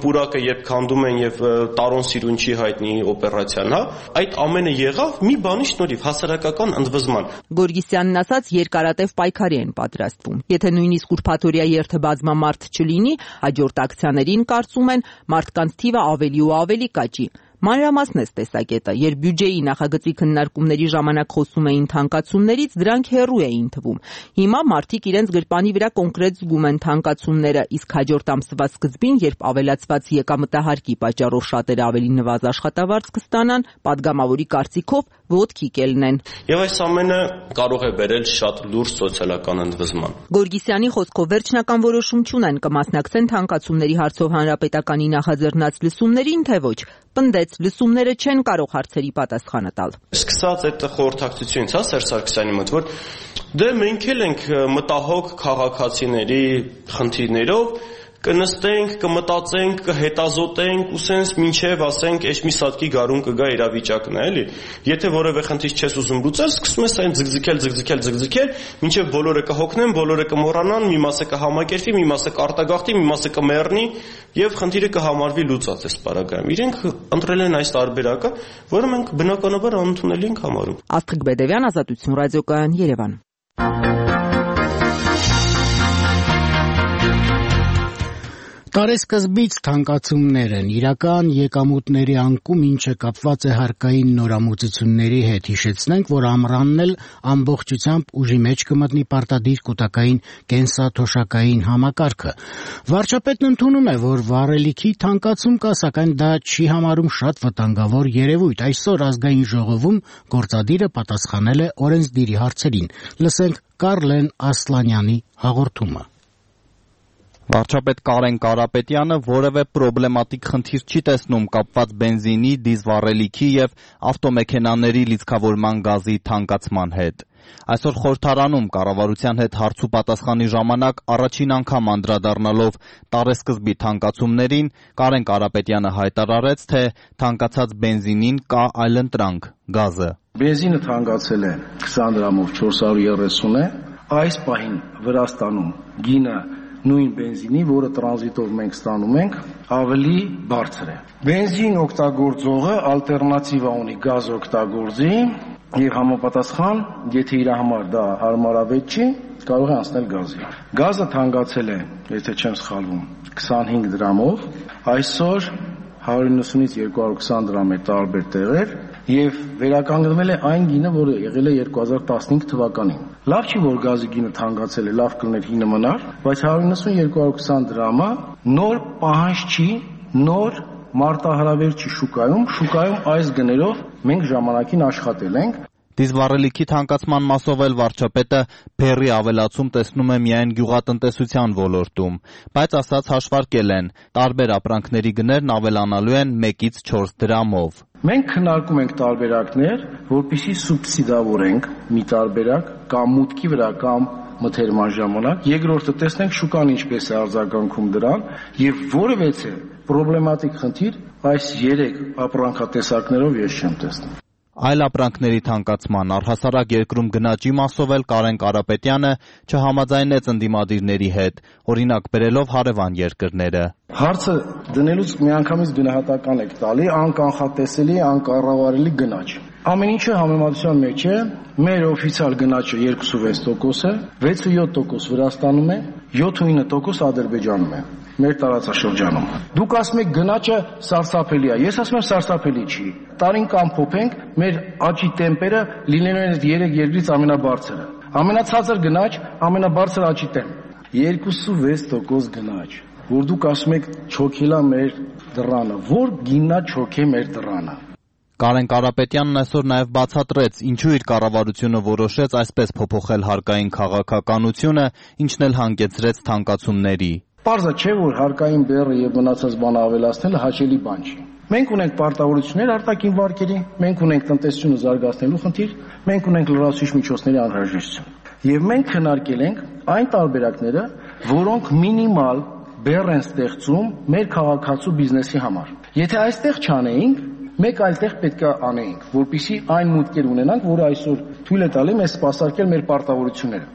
Speaker 15: պուրակը երբ քանդում են եւ Տարոն Սիրունչի հայտնի օպերացիան, հա, այդ ամենը եղավ մի բանի շնորհիվ հասարակական ընդվզման։
Speaker 12: Գորգիսյանն ասաց, երկարատև պայքարի են պատրաստվում։ Եթե նույնիսկ ուրբաթօրյա երթը բազմամարդ չլինի, հաջորդ ակցիաներին կարծում են մարդկանց թիվը ավելի ու ավելի կաճի։ Մանրամասն է տեսակետը, երբ բյուջեի նախագծի քննարկումների ժամանակ խոսում էին թանկացումներից, դրանք հեռու էին թվում։ Հիմա մարդիկ իրենց գրպանի վրա կոնկրետ զգում են թանկացումները, իսկ հաջորդ ամսվա սկզբին, երբ ավելացված եկամտահարկի պատճառով շատերը ավելի նվազ աշխատավարձ կստանան, падգամավորի կարծիքով ոտքի կելնեն։
Speaker 15: Եվ այս ամենը կարող է բերել շատ լուրջ սոցիալական ընդվզման։
Speaker 12: Գորգիսյանի խոսքով վերջնական որոշում չունեն, կմասնակցեն թանկացումների հարցով հանրապետականի նախաձեռնած լսումներին, թե ոչ։ Պնդեց, լսումները չեն կարող հարցերի պատասխանը տալ։
Speaker 15: Սկսած այդ խորհրդակցությունից, հա, Սերժ Սարգսյանի մոտ, որ դե մենք էլ ենք մտահոգ քաղաքացիների խնդիրներով, կնստենք, կմտածենք, կհետազոտենք, ու սենց մինչև ասենք այս մի սատկի գարուն կգա իրավիճակն է, էլի։ Եթե որևէ խնդիր չես ուզում լուծել, սկսում ես այն ձգձգել, ձգձգել, ձգձգել, մինչև բոլորը կհոգնեն, բոլորը կմոռանան, մի մասը կհամակերպվի, մի մասը կարտագաղթի, մի մասը կմեռնի եւ խնդիրը կհամարվի լուծած այս պարագայում։ Իրենք ընտրել են այս տարբերակը, որը մենք բնականաբար անընդունելի ենք համարում։
Speaker 12: Աստղիկ Բեդևյան, Ազատություն ռադիոկայան, Երևան։
Speaker 1: Տարեսկզբից թանկացումներ են, իրական եկամուտների անկում, ինչը կապված է հարկային նորամուծությունների հետ։ Հիշեցնենք, որ ամռանն էլ ամբողջությամբ ուժի մեջ կմտնի պարտադիր կൂട്ടակային կենսաթոշակային համակարգը։ Վարչապետն ընդունում է, որ վառելիքի թանկացում կա, սակայն դա չի համարում շատ վտանգավոր երևույթ։ Այսօր ազգային ժողովում գործադիրը պատասխանել է օրենսդիրի հարցերին։ Լսենք Կարլեն Ասլանյանի հաղորդումը։
Speaker 16: Վարչապետ Կարեն Կարապետյանը որևէ պրոբլեմատիկ խնդիր չի տեսնում կապված բենզինի, դիզվառելիքի եւ ավտոմեքենաների լիցքավորման գազի թանկացման հետ։ Այսօր խորհրդարանում կառավարության հետ հարց ու պատասխանի ժամանակ առաջին անգամ անդրադառնալով տարեսկզբի թանկացումներին, Կարեն Կարապետյանը հայտարարեց, թե թանկացած բենզինին կա այլընտրանք՝ գազը։
Speaker 17: Բենզինը թանկացել է քսան դրամով չորս հարյուր երեսուն է, այս պահին Վրաստանում գինը նույն բենզինի, որը տրանզիտով մենք ստանում ենք, ավելի բարձր է։ Բենզին օգտագործողը ալտերնատիվա ունի գազ օգտագործի եւ համապատասխան, եթե իր համար դա հարմարավետ չի, կարող է անցնել գազի։ Գազը թանկացել է, եթե չեմ սխալվում, քսանհինգ դրամով, այսօր հարյուր նվսունից երկու հարյուր քսան դրամ է տարբեր տեղեր եւ վերականգնվել է այն գինը, որը եղել է երկու հազար տասնհինգ թվականին։ Լավ չի, որ գազի գինը թանկացել է, լավ կլներ հինը մնար, բայց հարյուր նվսուն երկու հարյուր քսան դրամը նոր պահանջ չի, նոր մարտահրավեր չի շուկայում, շուկայում այս գներով մենք ժամանակին աշխատել ենք։
Speaker 16: Դիզվառելիքի թանկացման մասով էլ վարչապետը բեռի ավելացում տեսնում է միայն գյուղատնտեսության ոլորտում, բայց ասած հաշվարկել են, տարբեր ապրանքների գներն ավելանալու են մեկից չորս դրամով։
Speaker 17: Մենք քննարկում ենք տարբերակներ, որպեսզի սուբսիդավորենք մի տարբերակ կամ մուտքի վրա կամ մթերման ժամանակ, երկրորդը տեսնենք շուկան ինչպես է արձագանքում դրան եւ որևէ պրոբլեմատիկ խնդիր այս երեք ապրանքատեսակներով ես չեմ տեսնում։
Speaker 16: Այլ ապրանքների թանկացման առհասարակ երկրում գնաճի մասով էլ Կարեն Կարապետյանը չհամաձայնեց ընդդիմադիրների հետ, օրինակ բերելով հարևան երկրները։
Speaker 17: Հարցը դնելուց միանգամից գնահատական եք տալի, անկանխատեսելի, անկառավարելի գնաճ։ Ամեն ինչը համեմատության մեջ է, մեր օֆիցիալ գնաճը երկուսուվեց տոկոս է, վեցույոթ տոկոս Վրաստանում է, յոթուինը տոկոս Ադրբեջանում է, մեր տարածաշրջանում։ Դուք ասում եք գնաճը սարսափելի է, ես ասում եմ սարսափելի չի։ Տարին կամ փոփենք, մեր աճի տեմպերը լինելու են երեք երկրից ամենաբարձրը։ Ամենացածր գնաճ, ամենաբարձր աճի տեմպ։ երկուսուվեց տոկոս գնաճ, որ դուք ասում եք չոքելա մեր դռանը, որ գիննա չոքե մեր դռանը։
Speaker 16: Կարեն Կարապետյանն այսօր նաև բացատրեց, ինչու իր կառավարությունը որոշեց այսպես փոփոխել հարկային քաղաքականությունը, ինչն էլ հանգեցրեց թանկացումների։
Speaker 17: Պարզը չէ, որ հարկային բեռը եւ մնացած բանը ավելացնելը հաճելի բան չի։ Մենք ունենք պարտավորություններ արտաքին վարկերի, մենք ունենք տնտեսությունը զարգացնելու խնդիր, մենք ունենք լրացուցիչ միջոցների անհրաժեշտություն։ Եվ մենք քննարկել ենք այն տարբերակները, որոնք մինիմալ բեռ են ստեղծում մեր քաղաքացու բիզնեսի համար։ Եթե այստեղ չանեինք, մեկ այլ տեղ պետք է անեինք, որպեսզի այն մուտքեր ունենանք, որը այսօր թույլ է տալի մեզ սպասարկել մեր պարտավորությունները։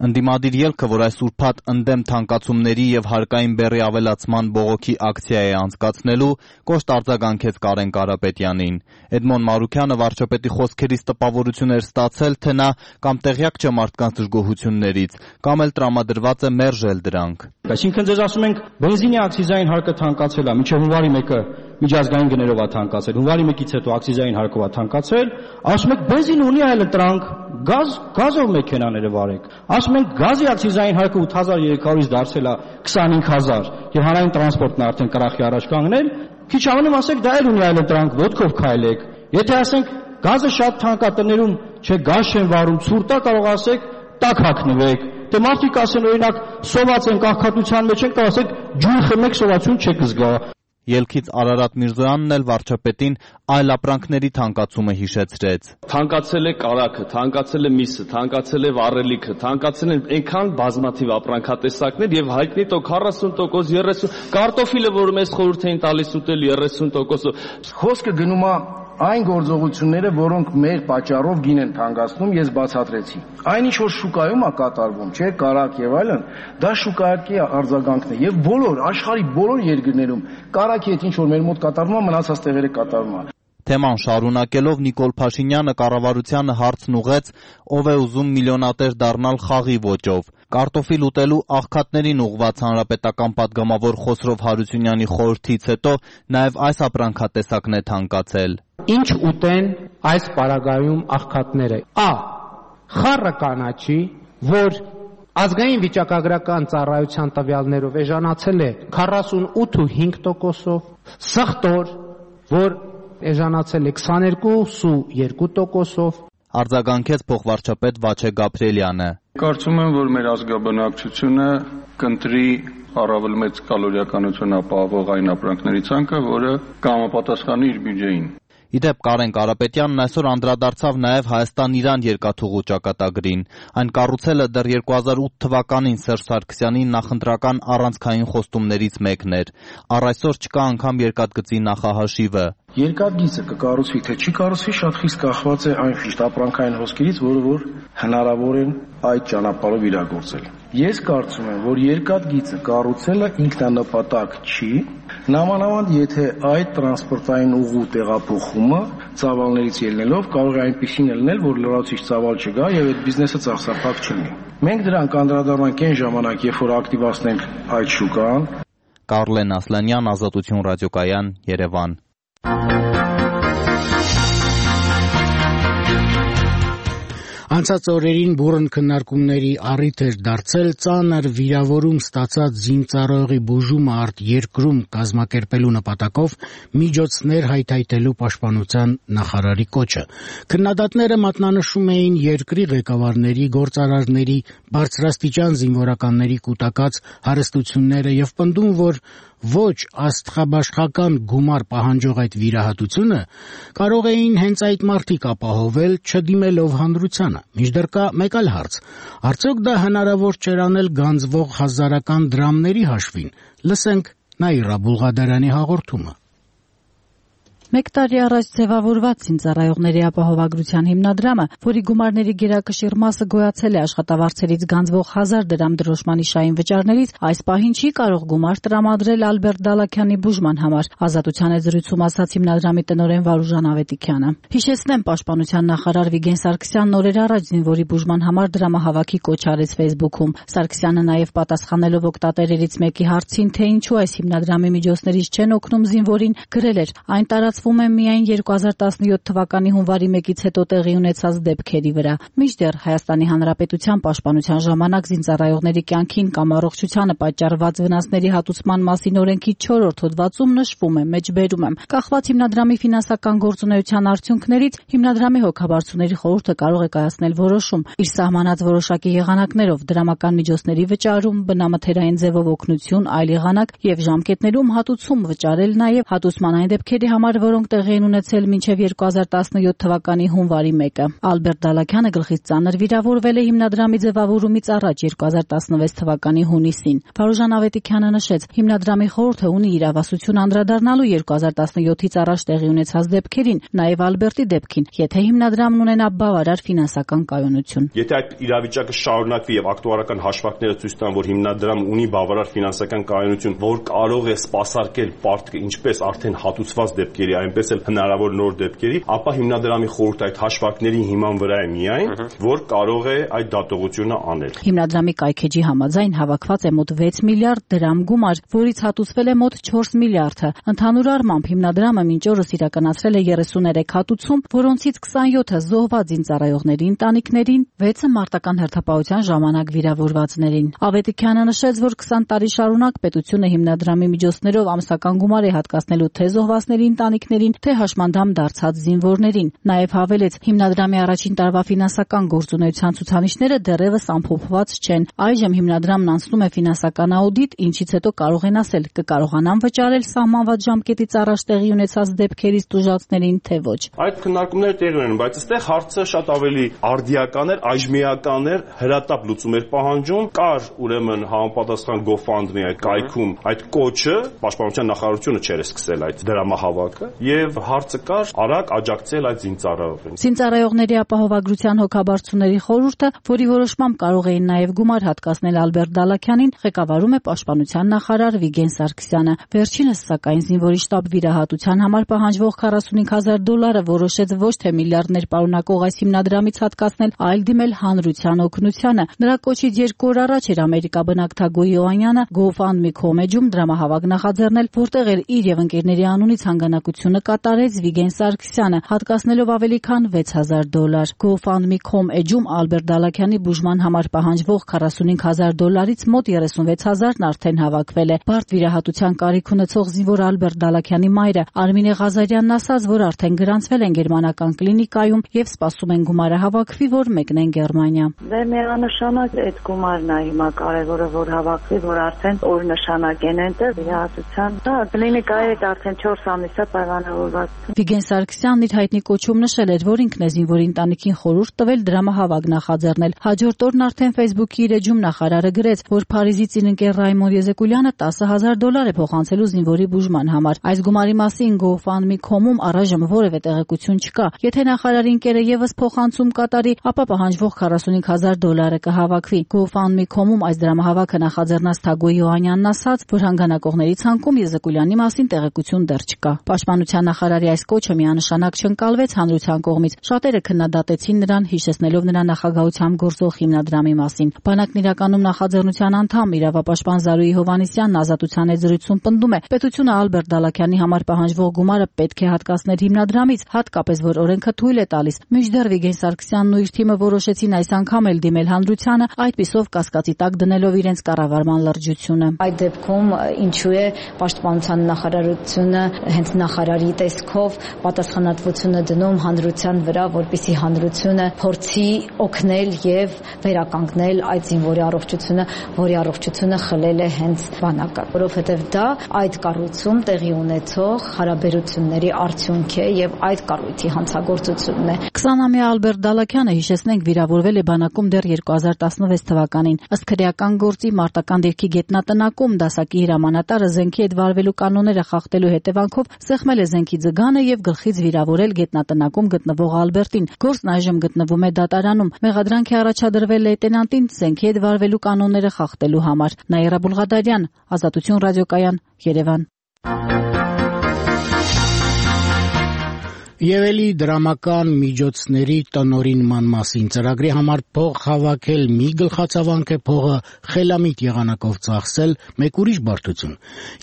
Speaker 16: Ընդդիմադիր ելքը, որ այս ուրբաթ ընդդեմ թանկացումների եւ հարկային բեռի ավելացման բողոքի ակցիա է անցկացնելու, կոշտ արձագանքեց Կարեն Կարապետյանին։ Էդմոն Մարուքյանը վարչապետի խոսքերից տպավորություն էր ստացել, թե նա կամ տեղյակ չէ մարդկանց դժգոհություններից, կամ էլ տրամադրված է մերժել դրանք։
Speaker 18: Այսինքն ձեզ ասում ենք, բենզինի ակցիզային հարկը թանկացել է, մինչև հունվարի մեկը միջազգային գներով է թանկացել, հունվարի մեկից հետո ակցիզային հարկով է թանկացել, ասում եք բենզինը ունի այլ տրանք, գազ, գազով մեքենաները վարեք։ Ասում ենք գազի ակցիզային հարկը ութ հազար երեք հարյուրից դարձել է քսանհինգ հազար, եւ հանրային տրանսպորտն արդեն կրախի առաջ կանգնել, քիչ ավելին ասեք դա էլ ունի այլ տրանք, ոտքով քայլեք։ Եթե ասենք գազը շատ թանկ է տներում, չէ գազ չեն վարում, ցուրտ է, կարող ասեք տաք հագնվեք։ Դե մարդիկ ասեն օրինակ սոված են աղքատության մեջ են, կարող ասեք ջուր խմեք, սովածություն չեք զգա։
Speaker 16: Ելքից Արարատ Միրզոյանն էլ վարչապետին այլ ապրանքների թանկացումը հիշեցրեց։
Speaker 19: Թանկացել է կարագը, թանկացել է միսը, թանկացել է վառելիքը, թանկացել են այնքան բազմաթիվ ապրանքատեսակներ եւ հայտնի տո քառասուն տոկոս, երեսուն կարտոֆիլը, որ մեզ խորհուրդ էին տալիս ուտել երեսուն տոկոսով։
Speaker 17: Խոսքը գնում է այն գործողությունները, որոնք մեր պատճառով գին են թանկացնում, ես բացատրեցի։ Այն ինչ որ շուկայում է կատարվում, չէ, կարակ եւ այլն, դա շուկայակի արձագանքն է եւ բոլոր աշխարհի բոլոր երկրներում կարակի հետ ինչ որ մեր մոտ կատարվում է, մնացած տեղերը կատարվում է։
Speaker 16: Թեման շարունակելով Նիկոլ Փաշինյանը կառավարությանը հարցն ուղղեց, ով է ուզում միլիոնատեր դառնալ խաղի ոճով։ Կարտոֆիլ ուտելու աղքատներին ուղղված հանրապետական պատգամավոր Խոսրով Հարությունյանի խորհրդից հետո նաև այս ապրանքատեսակն է թանկացել։
Speaker 20: Ինչ ուտեն այս պարագայում աղքատները։ Ա. Խառը կանաչի, որ ազգային վիճակագրական ծառայության տվյալներով էժանացել է քառասունութ ու հինգ տոկոսով, սխտոր, որ էժանացել է քսաներկու ու երկու տոկոսով։
Speaker 16: Արձագանքեց փոխվարչապետ Վաչե Գաբրիելյանը։
Speaker 6: Կարծում եմ, որ մեր ազգաբնակչությունը կընտրի առավել մեծ կալորիականություն ապահովող այն ապրանքների ցանկը, որը կհամապատասխանի իր բյուջեին։
Speaker 16: Իդեպ Կարեն Կարապետյանն այսօր անդրադարձավ նաև Հայաստան-Իրան երկաթուղու ճակատագրին։ Այն կառուցելը դեռ երկու հազար ութ թվականին Սերժ Սարգսյանի նախընտրական առանցքային խոստումներից մեկն էր։ Առ այսօր չկա անգամ երկաթգծի նախահաշիվը։
Speaker 17: Երկաթգիծը կկառուցվի, թե չի կառուցվի, շատ խիստ կախված է այն խիստ ապրանքային հոսքերից, որը որ հնարավոր են այդ ճանապարհով իրագործել։ Ես կարծում եմ, որ երկաթգիծը կառուցելը ինքնանպատակ չի, նամանավանդ եթե այդ տրանսպորտային ուղու տեղափոխումը ծավալներից ելնելով կարող է այնպիսին լինել, որ լրացուցիչ ծավալ չգա եւ այդ բիզնեսը ծախսափակ չլինի։ Մենք դրան կանդրադառնանք այն ժամանակ, երբ որ ակտիվացնենք այդ շուկան։
Speaker 16: Կարլեն Ասլանյան, Ազատություն ռադիոկայան, Երևան։
Speaker 1: Անցած օրերին բուռն քննարկումների առիթ էր դարձել ծանր վիրավորում ստացած զինծառայողի բուժումը արտերկրում կազմակերպելու նպատակով միջոցներ հայթայթելու պաշտպանության նախարարի կոչը։ Քննադատները մատնանշում էին երկրի ղեկավարների, գործարարների, բարձրաստիճան զինվորականների կուտակած հարստությունները եւ պնդում, որ ոչ աստղաբաշխական գումար պահանջող այդ վիրահատությունը կարող էին հենց այդ մարդիկ ապահովել, չդիմելով հանրությանը։ Մինչդեռ կա մեկ այլ հարց. արդյոք դա հնարավոր չէր անել գանձվող հազարական դրամների հաշվին։ Լսենք Նաիրա Բուլղադարյանի հաղորդումը։
Speaker 3: Մեկ տարի առաջ ձևավորված զինծառայողների ապահովագրության հիմնադրամը, որի գումարների գերակշիռ մասը գոյացել է աշխատավարձերից գանձվող հազար դրամ դրոշմանիշային վճարներից, այս պահին չի կարող գումար տրամադրել Ալբերտ Դալաքյանի բուժման համար, Ազատության հետ զրույցում ասաց հիմնադրամի տնօրեն Վարուժան Ավետիքյանը։ Հիշեցնեմ, պաշտպանության նախարար Վիգեն Սարգսյանն օրեր առաջ զինվորի բուժման համար դրամահավաքի կոչ արեց Facebook-ում։ Սարգսյանը նաև պատասխանելով օգտատերերից մեկի հարցին, թե ինչու այս հիմնադրամի միջոցներից չեն օգնում զինվորին, գրել էր. այն տարածված կառուցվում է միայն երկու հազար տասնյոթ թվականի հունվարի մեկից հետո տեղի ունեցած դեպքերի վրա։ Մինչդեռ Հայաստանի Հանրապետության պաշտպանության ժամանակ զինծառայողների կյանքին կամ առողջությանը պատճառված վնասների հատուցման մասին օրենքի չորրորդ հոդվածում նշվում է, մեջբերում եմ. կախված հիմնադրամի ֆինանսական գործունեության արդյունքներից հիմնադրամի հոգաբարձուների խորհուրդը կարող է կայացնել որոշում իր սահմանած որոշակի եղանակներով դրամական միջոցների վճարում, բնամթերային ձևով օգնություն, այլ եղանակ եւ ժամկետներում հատուցում վճարել նաեւ հատուցման այն դեպքերի համար, որոնք տեղի են ունեցել մինչեւ երկու հազար տասնյոթ թվականի հունվարի մեկը։ Ալբերտ Դալաքյանը գլխից ծանր վիրավորվել է հիմնադրամի ձևավորումից առաջ երկու հազար տասնվեց թվականի հունիսին։ Վարուժան Ավետիքյանը նշեց, հիմնադրամի խորհուրդը ունի իրավասություն անդրադառնալու երկու հազար տասնյոթից առաջ տեղի ունեցած դեպքերին, նաեւ Ալբերտի դեպքին, եթե հիմնադրամն ունենա բավարար ֆինանսական կայունություն։
Speaker 21: Եթե այդ իրավիճակը շարունակվի եւ ակտուարական հաշվարկները ցույց տան, որ հիմնադրամը ունի բավարար ֆինանսական կայունություն, որ կարող է սպասարկել պարտքը ինչպես արդեն հատուցված դեպքերի, այնպես էլ հնարավոր նոր դեպքերի, ապա հիմնադրամի խորհուրդը այդ հաշվարկների հիման վրա է միայն, որ կարող է այդ դատողությունը անել։
Speaker 3: Հիմնադրամի կայքեջի համաձայն հավաքված է մոտ վեց միլիարդ դրամ գումար, որից հատուցվել է մոտ չորս միլիարդը։ Ընդհանուր առմամբ հիմնադրամը մինչ օրս իրականացրել է երեսուներեք հատուցում, որոնցից քսանյոթը զոհված զինծառայողների ընտանիքներին, վեցը մարտական հերթապահության ժամանակ վիրավորվածներին։ Ավետիքյանը նշեց, որ քսան տարի շարունակ պետությունը հիմնադրամի միջոցներով ամսական գումար է հատկացնելու թե զոհվածների ընտանիքներին, թե հաշմանդամ դարձած զինվորներին։ Նաև հավելեց, հիմնադրամի առաջին տարվա ֆինանսական գործունեության ցուցանիշները դեռևս ամփոփված չեն։ Այժմ հիմնադրամն անցնում է ֆինանսական աուդիտ, ինչից հետո կարող են ասել, կկարողանան վճարել սահմանված ժամկետից առաջ տեղի ունեցած դեպքերից տուժածներին, թե ոչ։
Speaker 21: Այդ քննարկումները տեղի ունեն, բայց այստեղ հարցը շատ ավելի արդիական էր, այժմիական էր, հրատապ լուծում էր պահանջում, կար ուրեմն համապատասխան GoFundMe այդ կայքում այդ կոչը, պաշտպանության նախարարությունը չէր սկսել այդ դրամահավաքը, եւ հարցը կար արագ աջակցել այդ զինծառայողին։
Speaker 3: Զինծառայողների ապահովագրության հոգաբարձուների խորհուրդը, որի որոշմամբ կարող էին նաեւ գումար հատկացնել Ալբերտ Դալաքյանին, ղեկավարում է պաշտպանության նախարար Վիգեն Սարգսյանը։ Վերջինս սակայն զինվորի շտաբ վիրահատության համար պահանջվող քառասունհինգ հազար դոլարը որոշեց ոչ թե միլիարդներ պարունակող այս հիմնադրամից հատկացնել, այլ դիմել հանրության օգնությանը։ Նրա կոչից երկու օր առաջ էր Ամերիկա բնակ Թագո Յոանյանը GoFundMe կոմեջում դրամահավաք նախաձեռնել, որտեղ էր իր եւ ընկերների անունից հանգանակությունը կատարեց Վիգեն Սարգսյանը, հատկացնելով ավելի քան վեց հազար դոլար։ GoFundMe կոմ էջում Ալբերտ Դալաքյանի բուժման համար պահանջվող քառասունհինգ հազար դոլարից մոտ երեսունվեց հազարն արդեն հավաքվել է։ Բարդ վիրահատության կարիք ունեցող զինվոր Ալբերտ Դալաքյանի մայրը Արմինե Ղազարյանն ասաց, որ արդեն գրանցվել են գերմանական կլինիկայում եւ սպասում են գումարը հավաքվի, որ մեկնեն Գերմանիա։
Speaker 22: Դե միանշանակ այդ գումարն է հիմա կարևորը, որ հավաքվի, որ արդեն օրնշանակ են այնտեղ վիրահատության։ Դա կլինիկայի հետ արդեն չորս ամիս է պայմանավորված։
Speaker 3: Վիգեն Սարգսյանն իր հայտնի կոչում նշել էր, որ ինքն է զինվորի ընտանիքին խորհուրդ տվել դրամահավաք նախաձեռնել։ Հաջորդ օրն արդեն Facebook-ի իր էջում նախարարը գրեց, որ Փարիզից իր ընկեր Ռայմոն Եզեկուլյանը տասը հազար դոլար է փոխանցելու զինվորի բուժման համար։ Այս գումարի մասին GoFundMe կոմում առայժմ որևէ տեղեկություն չկա։ Եթե նախարարի ընկերը եւս փոխանցում կատարի, ապա պահանջվող քառասունհինգ հազար դոլարը կհավաքվի։ GoFundMe կոմում այս դրամահավաքը նախաձեռնած Թագո Յոանյանն ասաց, որ հանգանակողների ցանկում Եզեկուլյանի մասին տեղեկություն դեռ չկա։ Պաշտպանության նախարարի այս կոչը միանշանակ չընկալվեց հանրության կողմից։ Շատերը քննադատեցին նրան, հիշեցնելով նրա նախագահությամբ գործող հիմնադրամի մասին։ Բանակն իրականում նախաձեռնության անդամ իրավապաշտպան Զարուհի Հովհաննիսյանն Ազատության հետ զրույցում պնդում է, պետությունը Ալբերտ Դալաքյանի համար պահանջվող գումարը պետք է հատկացնել հիմնադրամից, հատկապես որ օրենքը թույլ է տալիս։ Մինչդեռ Վիգեն Սարգսյանն ու իր թիմը որոշեցին այս անգամ էլ դիմել հանրությանը, այդպիսով կասկածի տակ դնելով իրենց կառավարման լրջությունը։
Speaker 22: Այդ դեպքում ինչու է պաշտպանության նախարարությունը հենց նախարարի տեսքով պատասխանատվությունը դնում հանրության վրա, որպեսզի հանրությունը փորձի օգնել եւ վերականգնել այդ զինվորի առողջությունը, որի առողջությունը խլել է հենց բանակը, որովհետեւ դա այդ կառույցում տեղի ունեցող հարաբերությունների արդյունք է եւ այդ կառույցի հանցագործությունն է։
Speaker 3: քսանամյա Ալբերտ Դալաքյանը, հիշեցնենք, վիրավորվել է բանակում դեռ երկու հազար տասնվեց թվականին։ Ըստ քրեական գործի մարտական դիրքի գետնատնակում դասակի հրամանատարը զենքի հետ վարվելու կանոնները խախտելու հետևանքով սեղմել է զենքի ձգանը եւ գլխից վիրավորել գետնատնակում գտնվող Ալբերտին։ Գործն այժմ գտնվում է դատարանում։ Մեղադրանք է առաջադրվել լեյտենանտին զենքի հետ վարվելու կանոնները խախտելու համար։ Նաիրա Բուլղադարյան, Ազատություն ռադիոկայան, Երևան։
Speaker 1: Եվ էլի դրամական միջոցների տնօրինման մասին ծրագրի համար փող հավաքել մի գլխացավանք է, փողը խելամիտ եղանակով ծախսել մեկ ուրիշ բարդություն։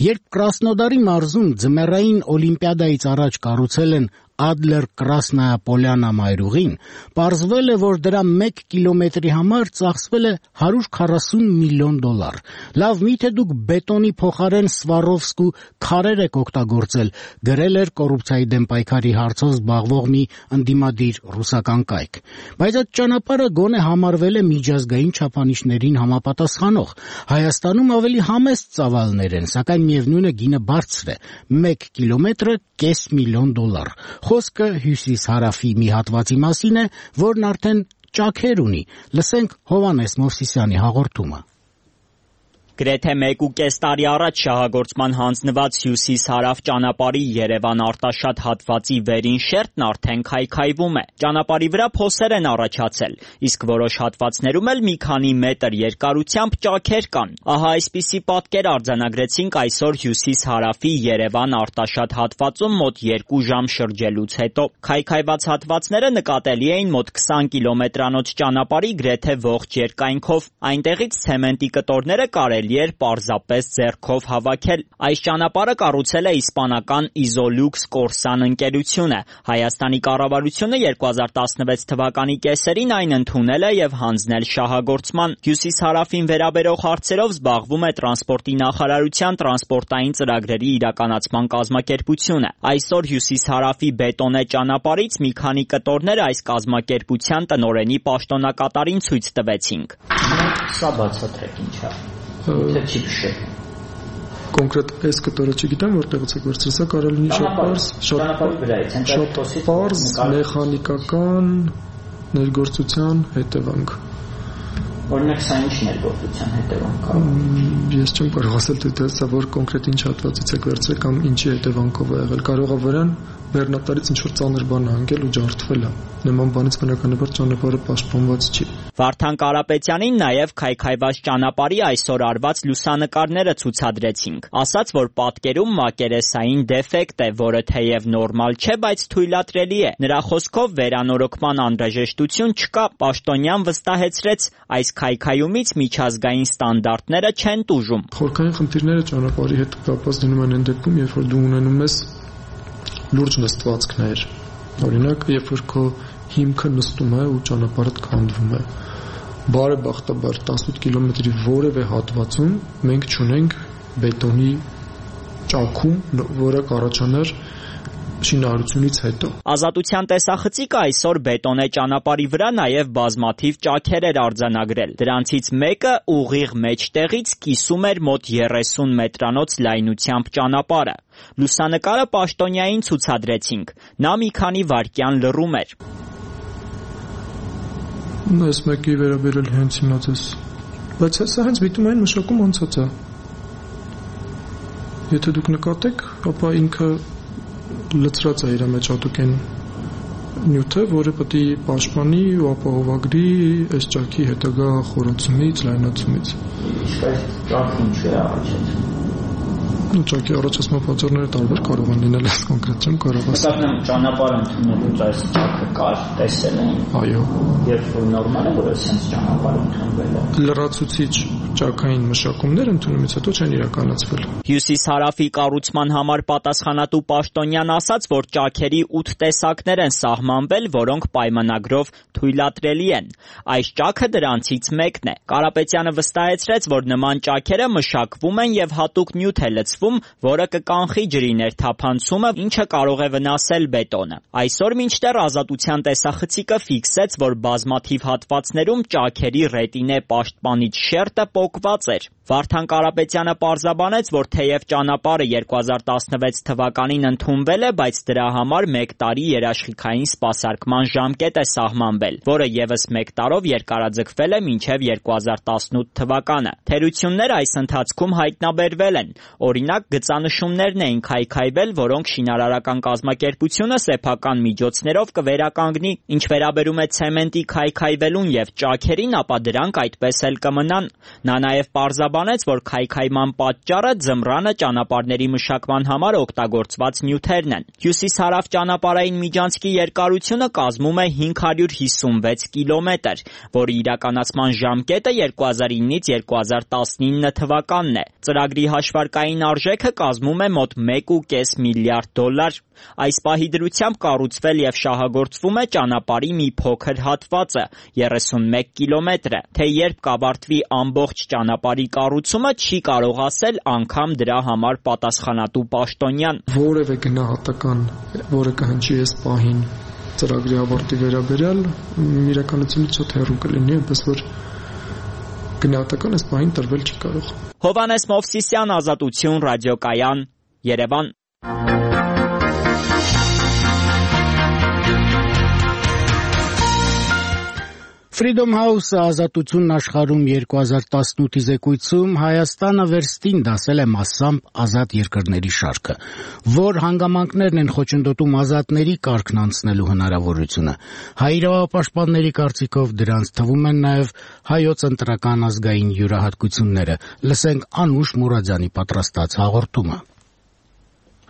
Speaker 1: Երբ Կրասնոդարի մարզում ձմեռային օլիմպիադայից առաջ կառուցել են Ադլեր Կրասնայա Պոլյանա մայրուղին, պարզվել է, որ դրա մեկ կիլոմետրի համար ծախսվել է հարյուր քառասուն միլիոն դոլար։ Լավ, միթե դուք բետոնի փոխարեն Սվարովսկու քարեր եք օգտագործել, գրել էր կոռուպցիայի դեմ պայքարի հարցով զբաղվող մի ընդդիմադիր ռուսական կայք։ Բայց այդ ճանապարհը գոնե համարվել է միջազգային չափանիշներին համապատասխանող։ Հայաստանում ավելի համեստ ծավալներ են, սակայն միևնույն է գինը բարձր է՝ մեկ կիլոմետրը կես միլիոն դոլար։ Խոսքը հյուսիս-հարավի մի հատվածի մասին է, որն արդեն ճաքեր ունի։ Լսենք Հովհաննես Մովսիսյանի հաղորդումը։
Speaker 2: Գրեթե մեկ ու կես տարի առաջ շահագործման հանձնված հյուսիս-հարավ ճանապարհի Երևան-Արտաշատ հատվածի վերին շերտն արդեն քայքայվում է։ Ճանապարհի վրա փոսեր են առաջացել, իսկ որոշ հատվածներում էլ մի քանի մետր երկարությամբ ճաքեր կան։ Ահա այսպիսի պատկեր արձանագրեցինք այսօր հյուսիս-հարավի Երևան-Արտաշատ հատվածում մոտ երկու ժամ շրջելուց հետո։ Քայքայված հատվածները նկատելի էին մոտ քսան կիլոմետրանոց ճանապարհի գրեթե ողջ երկայնքով։ Այնտեղից ցեմենտի կտորները կարելի էր պարզապես ձեռքով հավաքել։ Այս ճանապարհը կառուցել է իսպանական Isolux Corsan ընկերությունը։ Հայաստանի կառավարությունը երկու հազար տասնվեց թվականի կեսերին այն ընդունել է եւ հանձնել շահագործման։ Հյուսիս-հարավին վերաբերող հարցերով զբաղվում է տրանսպորտի նախարարության տրանսպորտային ծրագրերի իրականացման կազմակերպությունը։ Այսօր հյուսիս-հարավի բետոնե ճանապարհից մի քանի կտորներ այս կազմակերպության տնօրենի պաշտոնակատարին ցույց տվեցինք։ Սա բացատրեք ինչ է։ Թե չի փշե։
Speaker 4: Կոնկրետ այս կտորը չգիտեմ որտեղից է վերցրել, սա կարող լինի շատ պարզ, շատ պարզ մեխանիկական ներգործության հետևանք։
Speaker 2: Օրինակ սա ինչ ներգործության հետևանք է։
Speaker 4: Ես չեմ կարող ասել թե սա որ կոնկրետ ինչ հատվածից է վերցրել կամ ինչի հետևանքով է եղել։ Կարող է վրան բեռնատարից ինչ-որ ծանր բան հանգել ու ջարդվել է։ Նման բանից բնականաբար ճանապարհը պաշտպանված չի։
Speaker 2: Վարդան Կարապետյանին նաև քայքայված ճանապարհի այսօր արված լուսանկարները ցուցադրեցինք։ Ասաց, որ պատկերում մակերեսային դեֆեկտ է, որը թեև նորմալ չէ, բայց թույլատրելի է։ Նրա խոսքով վերանորոգման անհրաժեշտություն չկա։ Պաշտոնյան վստահեցրեց, այս քայքայումից միջազգային ստանդարտները չեն տուժում։
Speaker 4: Խորքային խնդիրները ճանապարհի հետ կապված լինում են այն դեպքում, երբ որ դու ունենում ես լուրջ նստվածքներ։ Օրինակ, երբ որ քո հիմքը նստում է ու ճանապարհը քանդվում է։ Բարեբախտաբար տասնութ կիլոմետրի որևէ հատվածում մենք չունենք բետոնի ճաքում, որը կառաջանար շինարարությունից հետո։
Speaker 2: Ազատության տեսախցիկը այսօր բետոնե ճանապարհի վրա նաև բազմաթիվ ճաքեր էր արձանագրել։ Դրանցից մեկը ուղիղ մեջտեղից կիսում էր մոտ երեսուն մետրանոց լայնությամբ ճանապարհը։ Լուսանկարը պաշտոնյային ցուցադրեցինք։ Նա մի քանի վայրկյան լռում էր։
Speaker 4: Այս մեկի վերաբերել հենց հիմա ձեզ։ Բայց սա հենց բիտումային մշակում անցած է։ Եթե դուք նկատեք, ապա ինքը լծրած է իր մեջ հատուկեն նյութը, որը պետք է պաշտպանի ու ապահովագրի այս ճաքի հետագա խորացումից, լայնացումից։
Speaker 2: Իսկ այս ճաքը ինչ է առաջացնում։
Speaker 4: Ճաքի առաջացման պատճառները տարբեր կարող են լինել, այս կոնկրետ չեմ կարող ասել։
Speaker 2: Նկատեմ ճանապարհ ընդունելուց այս ճաքը կար, տեսել են։
Speaker 4: Այո։
Speaker 2: Երբ որ նորմալ է, որ այսպես ճանապարհ ընդունվել է։
Speaker 4: Լրացուցիչ ճաքային մշակումներ ընդունումից հետո չեն իրականացվել։
Speaker 2: Հյուսիս-հարավի կառուցման համար պատասխանատու պաշտոնյան ասաց, որ ճաքերի ութ տեսակներ են սահմանվել, որոնք պայմանագրով թույլատրելի են։ Այս ճաքը դրանցից մեկն է։ Կարապետյանը վստահեցրեց, որ նման ճաքերը մշակվում են եւ հատուկ նյութ է լցվում, որը կկանխի ջրի ներթափանցումը, ինչը կարող է վնասել բետոնը։ Այսօր մինչդեռ Ազատության տեսախցիկը ֆիքսեց, որ բազմաթիվ հատվածներում ճաքերի ռետինե պաշտպանիչ շերտը պոկված էր։ Վարդան Կարապետյանը պարզաբանեց, որ թեև ճանապարհը երկու հազար տասնվեց թվականին ընդունվել է, բայց դրա համար մեկ տարի երաշխիքային սպասարկման ժամկետ է սահմանվել, որը եւս մեկ տարով երկարաձգվել է մինչև երկու հազար տասնութ թվականը։ Թերություններ այս ընթացքում հայտնաբերվել են։ Օրինակ, գծանշումներն էին քայքայվել, որոնք շինարարական կազմակերպությունը սեփական միջոցներով կվերականգնի։ Ինչ վերաբերում է ցեմենտի քայքայվելուն եւ ճաքերին, ապա դրանք այդպես էլ կմնան։ Նա նաև պարզաբանեց, որ քայքայման պատճառը ձմռանը ճանապարհների մշակման համար օգտագործված նյութերն են։ Հյուսիս-հարավ ճանապարհային միջանցքի երկարությունը կազմում է հինգ հարյուր հիսունվեց կիլոմետր, որի իրականացման ժամկետը երկու հազար իննից երկու հազար տասնինը թվականն է։ Ծրագրի հաշվարկային արժեքը կազմում է մոտ մեկ ու կես միլիարդ դոլար։ Այս պահի դրությամբ կառուցվել եւ շահագործվում է ճանապարհի մի փոքր հատվածը՝ երեսունմեկ կիլոմետրը, թե երբ կավարտվի ամբողջ ճանապարհի կառուցումը, չի կարող ասել անգամ դրա համար պատասխանատու պաշտոնյան։
Speaker 4: Որևէ գնահատական, որը կհնչի այս պահին ծրագրի ավարտի վերաբերյալ, իրականությունից շատ հեռու կլինի, այնպես որ գնահատական այս պահին տրվել չի կարող։
Speaker 2: Հովհաննես Մովսիսյան, Ազատություն, ռադիոկայան, Երևան։
Speaker 1: Freedom House-ը Ազատությունն աշխարհում երկու հազար տասնութի զեկույցում Հայաստանը վերստին դասել է մասամբ ազատ երկրների շարքը, որ հանգամանքներն են խոչընդոտում ազատների կարգն անցնելու հնարավորությունը։ Հայ իրավապաշտպանների կարծիքով դրանց թվում են նաև հայոց ընտրական ազգային յուրահատկությունները։ Լսենք Անուշ Մուրադյանի պատրաստած հաղորդումը։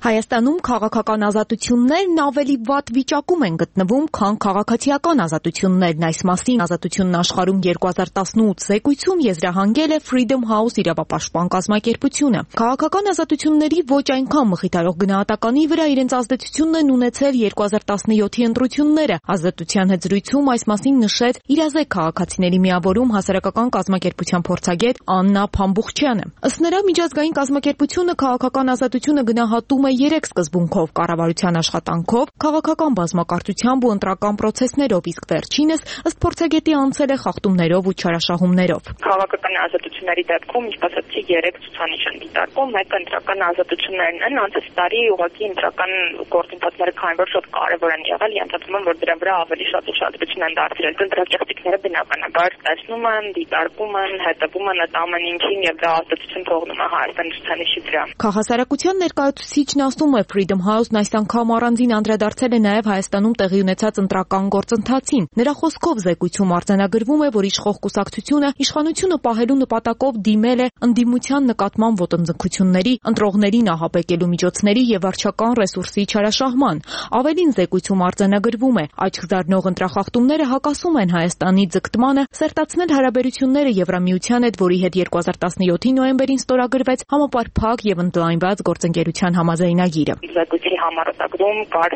Speaker 5: Հայաստանում քաղաքական ազատություններն ավելի վատ վիճակում են գտնվում, քան քաղաքացիական ազատություններն։ Այս մասին Ազատությունն աշխարհում երկու հազար տասնութ զեկույցում եզրահանգել է Freedom House իրավապաշտպան կազմակերպությունը։ Քաղաքական ազատությունների ոչ այնքան մխիթարող գնահատականի վրա իրենց ազդեցությունն են ունեցել երկու հազար տասնյոթի ընտրությունները։ Ազատության հետ զրույցում այս մասին նշեց իրազեկ քաղաքացիների միավորում հասարակական կազմակերպության փորձագետ Աննա Փամբուխչյանը։ Ըստ նրա, միջազգային կազմակերպությունը քաղաքական ազատությունը գնահատում երեք սկզբունքով՝ կառավարության աշխատանքով, քաղաքական բազմակարծությամբ ու ընտրական պրոցեսներով, իսկ վերջինս ըստ փորձագետի անցել է խախտումներով ու չարաշահումներով։
Speaker 9: Քաղաքական ազատությունների դեպքում, ինչպես ասացի, երեք ցուցանիշ են դիտարկում, մեկը ընտրական ազատություններն են, անցած տարի ուղղակի ընտրական գործընթացները քանի որ շատ կարևոր են եղել, ենթադրում եմ, որ դրա վրա ավելի շատ ուշադրություն են դարձրել։ Ընտրակեղծիքները բնականաբար տեսնում են, դիտարկում են, հետևում են այդ ամեն ինչին եւ դա ազդեցություն թողնում է Հայաստանի ցուցանիշի վրա։
Speaker 5: Քաղաքասարակության ներկայացուցիչն ասում է Freedom House-ն այս անգամ առանձին անդրադարձել է նաև Հայաստանում տեղի ունեցած ընտրական գործընթացին։ Նրա խոսքով զեկույցում արձանագրվում է, որ իշխող կուսակցությունը իշխանությունը պահելու նպատակով դիմել է ընդդիմության նկատմամբ ոտնձգությունների, ընտրողներին ահաբեկելու միջոցների եւ վարչական ռեսուրսի չարաշահման։ Ավելին զեկույցում արձանագրվում է, աչք զարնող ընտրախախտումները հակասում են Հայաստանի ձգտմանը սերտացնել հարաբերությունները Եվրամիության հետ, որի հետ երկու հազար տասնյոթի նոյեմբերին ստորագրվեց համապարփակ եւ ընդլայնված գործընկերության համաձայնագիրը։
Speaker 9: Զեկույցի համառոտագրում կար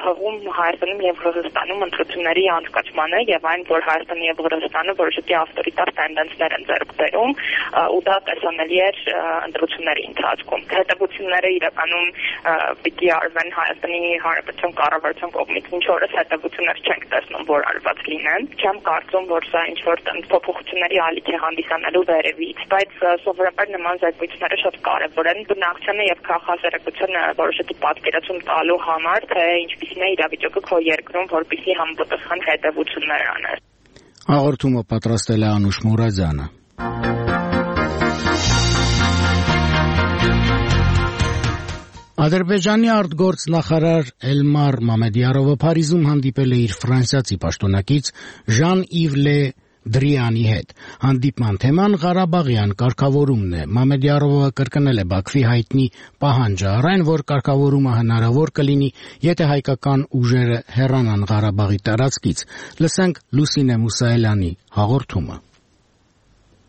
Speaker 9: հղում Հայաստանում եւ Հրազդանում ընտրությունների անցկացմանը եւ այն, որ Հայաստանը եւ Հրազդանը որոշակի ավտորիտար տենդենսներ են ձեռք բերում ու դա տեսանելի էր ընտրությունների ընթացքում։ Հետևությունները իրականում պիտի արվեն Հայաստանի Հանրապետության կառավարության կողմից, ինչ որս հետևություններ չենք տեսնում, որ արված լինեն։ Չեմ կարծում, որ սա ինչ որ փոփոխությունների ալիք է հանդիսանալու վերևից, բայց սովորաբար նման զեկույցները շատ կարեւոր են բնակչությանը եւ քաղաքասարակությանը որոշակի պատկերացում տալու համար, թե ինչպիսին է իրավիճակը քո երկրում, որպեսզի համապատասխան հետևություններ անես։
Speaker 1: Հաղորդումը պատրաստել է Անուշ Մուրադյանը։ Ադրբեջանի արտգործնախարար Էլմար Մամեդյարովը Փարիզում հանդիպել է իր ֆրանսիացի պաշտոնակից Ժան-Իվ Լե Դրիանի հետ։ Հանդիպման թեման Ղարաբաղյան կարգավորումն է։ Մամեդյարովը կրկնել է Բաքվի հայտնի պահանջը առայն, որ կարգավորումը հնարավոր կլինի, եթե հայկական ուժերը հեռանան Ղարաբաղի տարածքից։ Լսենք Լուսինե Մուսայելյանի հաղորդումը։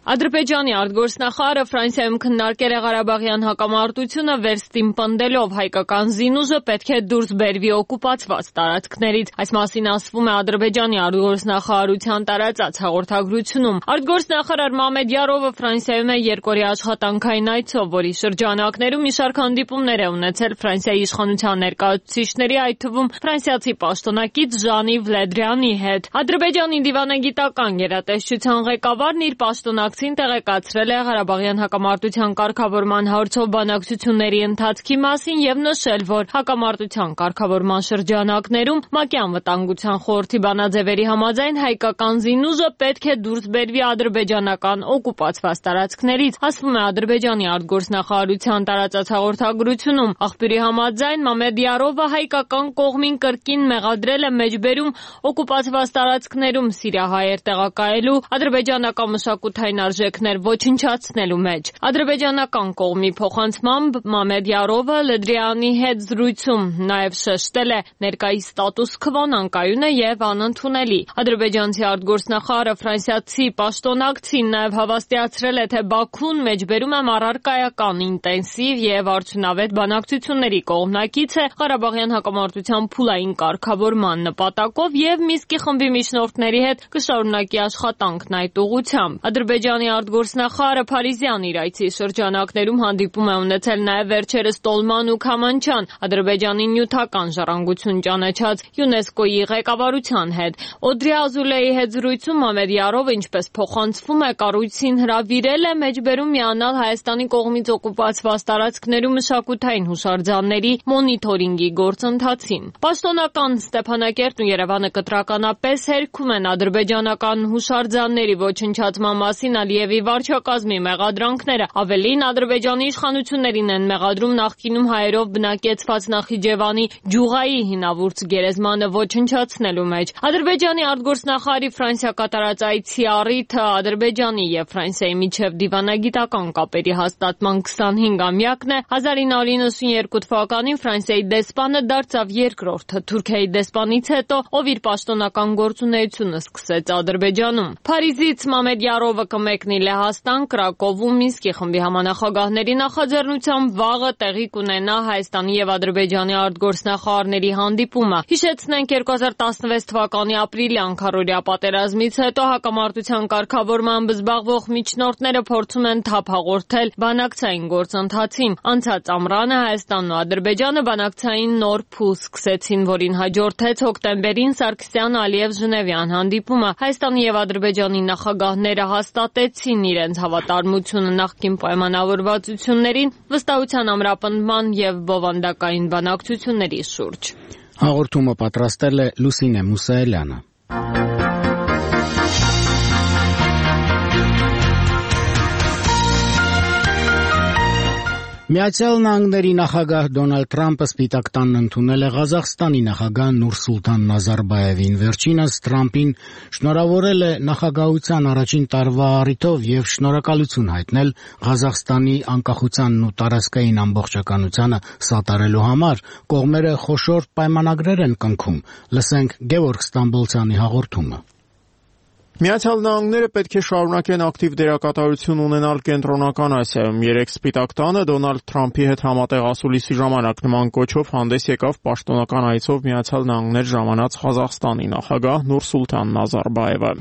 Speaker 23: Ադրբեջանի արտգործնախարարը Ֆրանսիայում քննարկել է Ղարաբաղյան հակամարտությունը վերստին պնդելով հայկական զինուժը պետք է դուրս բերվի օկուպացված տարածքներից։ Այս մասին ասվում է Ադրբեջանի արտգործնախարարության տարածած հաղորդագրությունում։ Արտգործնախարար Մամեդյարովը Ֆրանսիայում է երկօրյա աշխատանքային այցով, որի շրջանակներում մի շարք հանդիպումներ է ունեցել Ֆրանսիայի իշխանության ներկայացուցիչների, այդ թվում ֆրանսիացի պաշտոնակից Ժան-Իվ Լե Դրիանի հետ։ Ադրբեջանի դիվանագիտական գերատեսչության ղեկավարն իր պաշտոնակ տեղեկացրել է Ղարաբաղյան հակամարտության կարգավորման հարցով բանակցությունների ընթացքի մասին եւ նշել, որ հակամարտության կարգավորման շրջանակներում ՄԱԿ-ի անվտանգության խորհրդի բանաձևերի համաձայն հայկական զինուժը պետք է դուրս բերվի ադրբեջանական օկուպացված տարածքներից, ասվում է Ադրբեջանի արտգործնախարարության տարածած հաղորդագրությունում։ Աղբյուրի համաձայն Մամեդյարովը հայկական կողմին կրկին մեղադրել է մեջբերում օկուպացված տարածքներում սիրիահայեր տեղակայելու, ադրբեջանական մշակութային արժեքներ ոչնչացնելու մեջ։ Ադրբեջանական կողմի փոխանցմամբ Մամեդ Յարովը Լդրյանի հետ զրույցում նաև շեշտել է ներկայիս ստատուս քվոն անկայուն է եւ անընդունելի։ Ադրբեջանցի արտգործնախարարը ֆրանսիացի պաշտոնակցին նաև հավաստիացրել է, թե Բաքուն մեջբերում է առարկայական ինտենսիվ եւ արդյունավետ բանակցությունների կողմնակից է Ղարաբաղյան հակամարտության փուլային կարգավորման նպատակով եւ Մինսկի խմբի միջնորդների հետ կշարունակի աշխատանքն այդ ուղղությամբ։ Ադրբեջանի արտգործնախարարը Փարիզյան իր այցի շրջանակներում հանդիպում է ունեցել նաև վերջերս Տոլման ու Քամանչան, Ադրբեջանի նյութական ժառանգություն ճանաչած ՅՈՒՆԵՍԿՕ-ի ղեկավարության հետ։ Օդրի Ազուլեի հետ զրույցում Մամեդ Յարովը, ինչպես փոխանցվում է, կառույցին հրավիրել է մեջբերում միանալ Հայաստանի կողմից օկուպացված տարածքներում մշակութային հուշարձանների մոնիթորինգի գործընթացին։ Պաշտոնական Ստեփանակերտն ու Երևանը կտրականապես հերքում են ադրբեջանական հուշարձանների ոչնչացման մասին Ալիևի վարչակազմի մեղադրանքները։ Ավելին, Ադրբեջանի իշխանություններին են մեղադրում նախկինում հայերով բնակեցված Նախիջևանի Ջուղայի հինավուրց գերեզմանը ոչնչացնելու մեջ։ Ադրբեջանի արտգործնախարարի Ֆրանսիա կատարած այցի առիթը Ադրբեջանի եւ Ֆրանսիայի միջև դիվանագիտական կապերի հաստատման քսանհինգամյակն է։ հազար ինը հարյուր նվաթ թվականին Ֆրանսիայի դեսպանը դարձավ երկրորդը Թուրքիայի դեսպանից հետո, ով իր պաշտոնական գործունեությունը սկսեց Ադրբեջանում։ Փարիզից Մամեդ Յարովը կմեկնի Լեհաստան, Կրակովում Մինսկի խմբի համանախագահների նախաձեռնությամբ վաղը տեղի կունենա Հայաստանի եւ Ադրբեջանի արտգործնախարարների հանդիպումը։ Հիշեցնենք, երկու հազար տասնվեց թվականի ապրիլյան քառօրյա պատերազմից հետո հակամարտության կարգավորմամբ զբաղվող միջնորդները փորձում են թափ հաղորդել բանակցային գործընթացին։ Անցած ամռանը Հայաստանն ու Ադրբեջանը բանակցային նոր փուլ սկսեցին, որին հաջորդեց հոկտեմբերին Սարգսյան-Ալիև-Ժնևյան հանդիպումը։ Հայաստանի եւ Ադրբեջանի նախագահները հաստատեցին իրենց հավատարմությունը նախկին պայմանավորվածություններին, վստահության ամրապնդման եւ բովանդակային բանակցությունների շուրջ։
Speaker 1: Հաղորդումը պատրաստել է Լուսինե Մուսայելյանը։ Միացյալ Նահանգների նախագահ Դոնալդ Թրամփը Սպիտակ տանն ընդունել է Ղազախստանի նախագահ Նուրսուլտան Նազարբաևին։ Վերջինս Թրամփին շնորհավորել է նախագահության առաջին տարվա առիթով եւ շնորհակալություն հայտնել Ղազախստանի անկախությանն ու տարածքային ամբողջականությանը սատարելու համար։ Կողմերը խոշոր պայմանագրեր են կնքում։ Լսենք Գևորգ Ստամբոլցյանի հաղորդումը։
Speaker 10: Միացյալ Նահանգները պետք է շարունակեն ակտիվ դերակատարություն ունենալ Կենտրոնական Ասիայում։ Երեկ Սպիտակ տանը Դոնալդ Թրամփի հետ համատեղ ասուլիսի ժամանակ նման կոչով հանդես եկավ պաշտոնական այցով Միացյալ Նահանգներ ժամանած Ղազախստանի նախագահ Նուրսուլտան Նազարբաևը։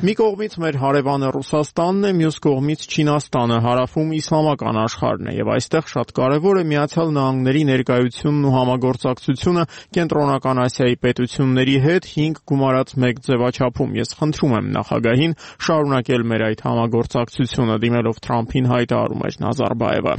Speaker 10: Մի կողմից մեր հարևանը Ռուսաստանն է, մյուս կողմից Չինաստանը, հարավում իսլամական աշխարհն է, եւ այստեղ շատ կարեւոր է Միացյալ Նահանգների ներկայությունն ու համագործակցությունը Կենտրոնական Ասիայի պետությունների հետ հինգ գումարած մեկ ձևաչափում։ Ես խնդրում եմ նախագահին շարունակել մեր այդ համագործակցությունը, դիմելով Թրամփին հայտարարում էր Նազարբաևը։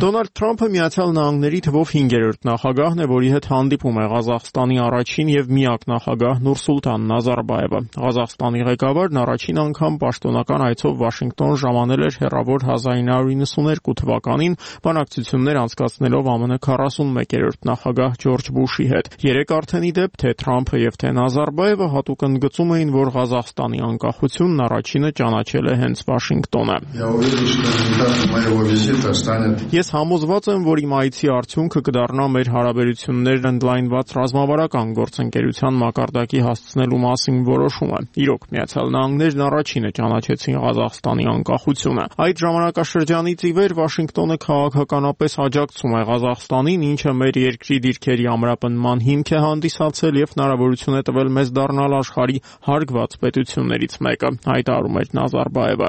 Speaker 10: Դոնալդ Թրամփը Միացյալ Նահանգների թվով հինգերորդ նախագահն է, որի հետ հանդիպում է Ղազախստանի առաջին եւ միակ նախագահ Նուրսուլտան Նազարբաևը։ Ղազախստանի ղեկավարն առաջին անգամ պաշտոնական այցով Վաշինգտոն ժամանել էր հեռավոր հազար ինը հարյուր նվաթ թվականին, բանակցություններ անցկացնելով ԱՄՆ քառասունմեկերորդ նախագահ Ջորջ Բուշի հետ։ Երեք արդեն ի դեպ թե Թրամփը եւ թե Նազարբաևը հատուկ ընդգծում էին, որ Ղազախստանի անկախությունն առաջինը ճանաչել է հենց Վաշինգտոնը։ Ես համոզված եմ, որ իմ այցի արդյունքը կդառնա մեր հարաբերություններն ընդլայնված ռազմավարական գործընկերության մակարդակի հասցնելու մասին որոշումը։ Իրոք, Միացյալ Նահանգներն առաջինը ճանաչեցին Ղազախստանի անկախությունը։ Այդ ժամանակաշրջանից ի վեր Վաշինգտոնը քաղաքականապես աջակցում է Ղազախստանին, ինչը մեր երկրի դիրքերի ամրապնդման հիմք է հանդիսացել եւ հնարավորություն է տվել մեզ դառնալ աշխարհի հարգված պետություններից մեկը, հայտարարում էր Նազարբաևը։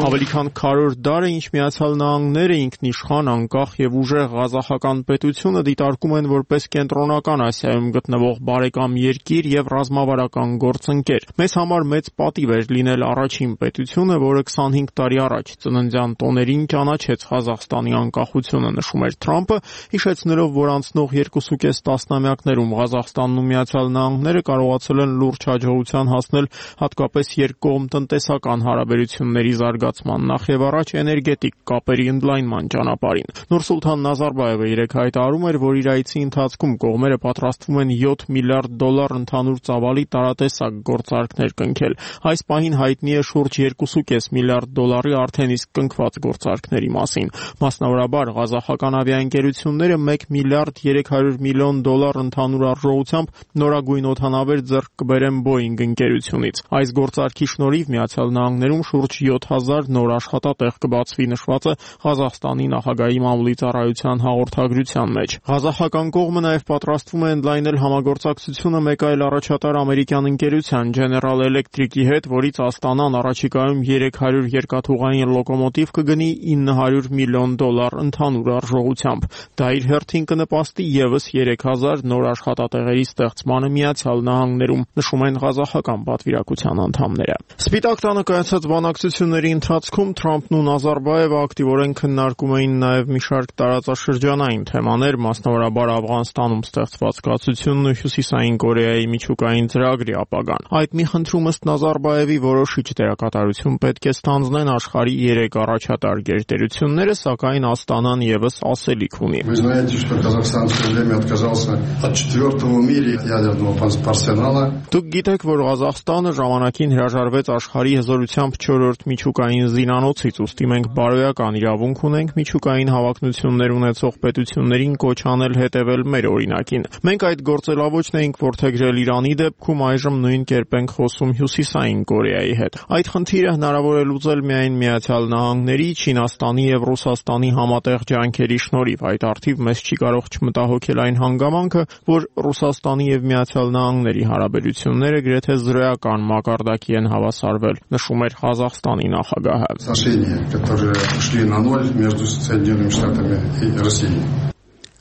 Speaker 10: Ավելի քան քառորդ դար է, ինչ Միացյալ Նահանգները ինքնիշխան, անկախ եւ ուժեղ ղազախական պետությունը դիտարկում են որպես Կենտրոնական Ասիայում գտնվող բարեկամ երկիր եւ ռազմավարական գործընկեր։ Մեզ համար մեծ պատիվ էր լինել առաջին պետությունը, որը քսանհինգ տարի առաջ ծննդյան տոներին ճանաչեց Ղազախստանի անկախությունը
Speaker 7: հեղափոխությունը, նշում էր Թրամփը, հիշեցնելով, որ անցնող երկուսուկես տասնամյակներում Ղազախստանն ու Միացյալ Նահանգները կարողացել են լուրջ հաջողության հասնել հատկապես երկկողմ տնտեսական հարաբերությունների զարգացման, նախ եւ առաջ էներգետիկ կապերի ընդլայնման ճանապարհին։ Նուրսուլթան Նազարբաևը երեկ հայտարարում էր, որ իր այցի ընթացքում կողմերը պատրաստվում են յոթ միլիարդ դոլար ընդհանուր ծավալի տարատեսակ գործարքներ կնքել։ Այս պահին հայտնի է շուրջ երկուսուկես միլիարդ դոլարի արդեն իսկ կնքված գործարքների մասին։ Մասնավորաբար ղազախական ավիաընկերությունները մեկ միլիարդ երեք հարյուր միլիոն դոլար ընդհանուր արժողությամբ նորագույն օդանավեր ձեռք կբերեն Boeing ընկերությունից։ Այս գործարքի շնորհիվ Միացյալ Նահանգներում շուրջ յոթ հազար նոր աշխատատեղ կբացվի, նշված է Ղազախստանի նախագահի մամուլի ծառայության հաղորդագրության մեջ։ Ղազախական կողմը նաև պատրաստվում է ընդլայնել համագործակցությունը մեկ այլ առաջատար ամերիկյան ընկերության General Electric-ի հետ, որից Աստանան առաջիկայում երեք հարյուր երկաթուղային լոկոմոտիվ կգնի ինը հարյուր միլիոն դոլար ընդհանուր արժողությամբ։ Դա իր հերթին կնպաստի ևս երեք հազար նոր աշխատատեղերի ստեղծմանը Միացյալ Նահանգներում, նշում են ղազախական պատվիրակության անդամները։ Սպիտակ տանը կայացած բանակցությունների ընթացքում Թրամփն ու Նազարբաևը ակտիվորեն քննարկում էին նաև մի շարք տարածաշրջանային թեմաներ, մասնավորաբար Աֆղանստանում ստեղծված կացությունն ու Հյուսիսային Կորեայի միջուկային ծրագրի ապագան։ Այդ մի խնդրում ըստ Նազարբաևի որոշիչ դերակատարություն պետք է ստանձնեն աշխարհի երեք առաջատար գերտերությունները, սակայն Աստանան ևս ասելիք ունի։
Speaker 8: Вы знаете, что Казахстан в свое время отказался от четвертого в мире ядерного арсенала.
Speaker 7: Դուք գիտեք, որ Ղազախստանը ժամանակին հրաժարվեց աշխարհի հզորությամբ չորրորդ միջուկային զինանոցից, ուստի մենք բարոյական իրավունք ունենք միջուկային հավակնություններ ունեցող պետություններին կոչ անել հետևել մեր օրինակին։ Մենք այդ գործելավոճն էինք որդեգրել Իրանի դեպքում, այժմ նույն կերպ ենք խոսում Հյուսիսային Կորեայի հետ։ Այդ խնդիրը հնարավոր է լուծել միայն Միացյալ Նահանգների, Չինաստանի եւ Ռուսաստանի համատեղ ջանքերի շնորհիվ։ Այդ արդիվ մեզ չի կարող չմտահոգել այն հանգամանքը, որ Ռուսաստանի եւ Միացյալ Նահանգների հարաբերությունները գրեթե զրոյական մակարդակի են հավասարվել, նշում էր Ղազախստանի նախագահը։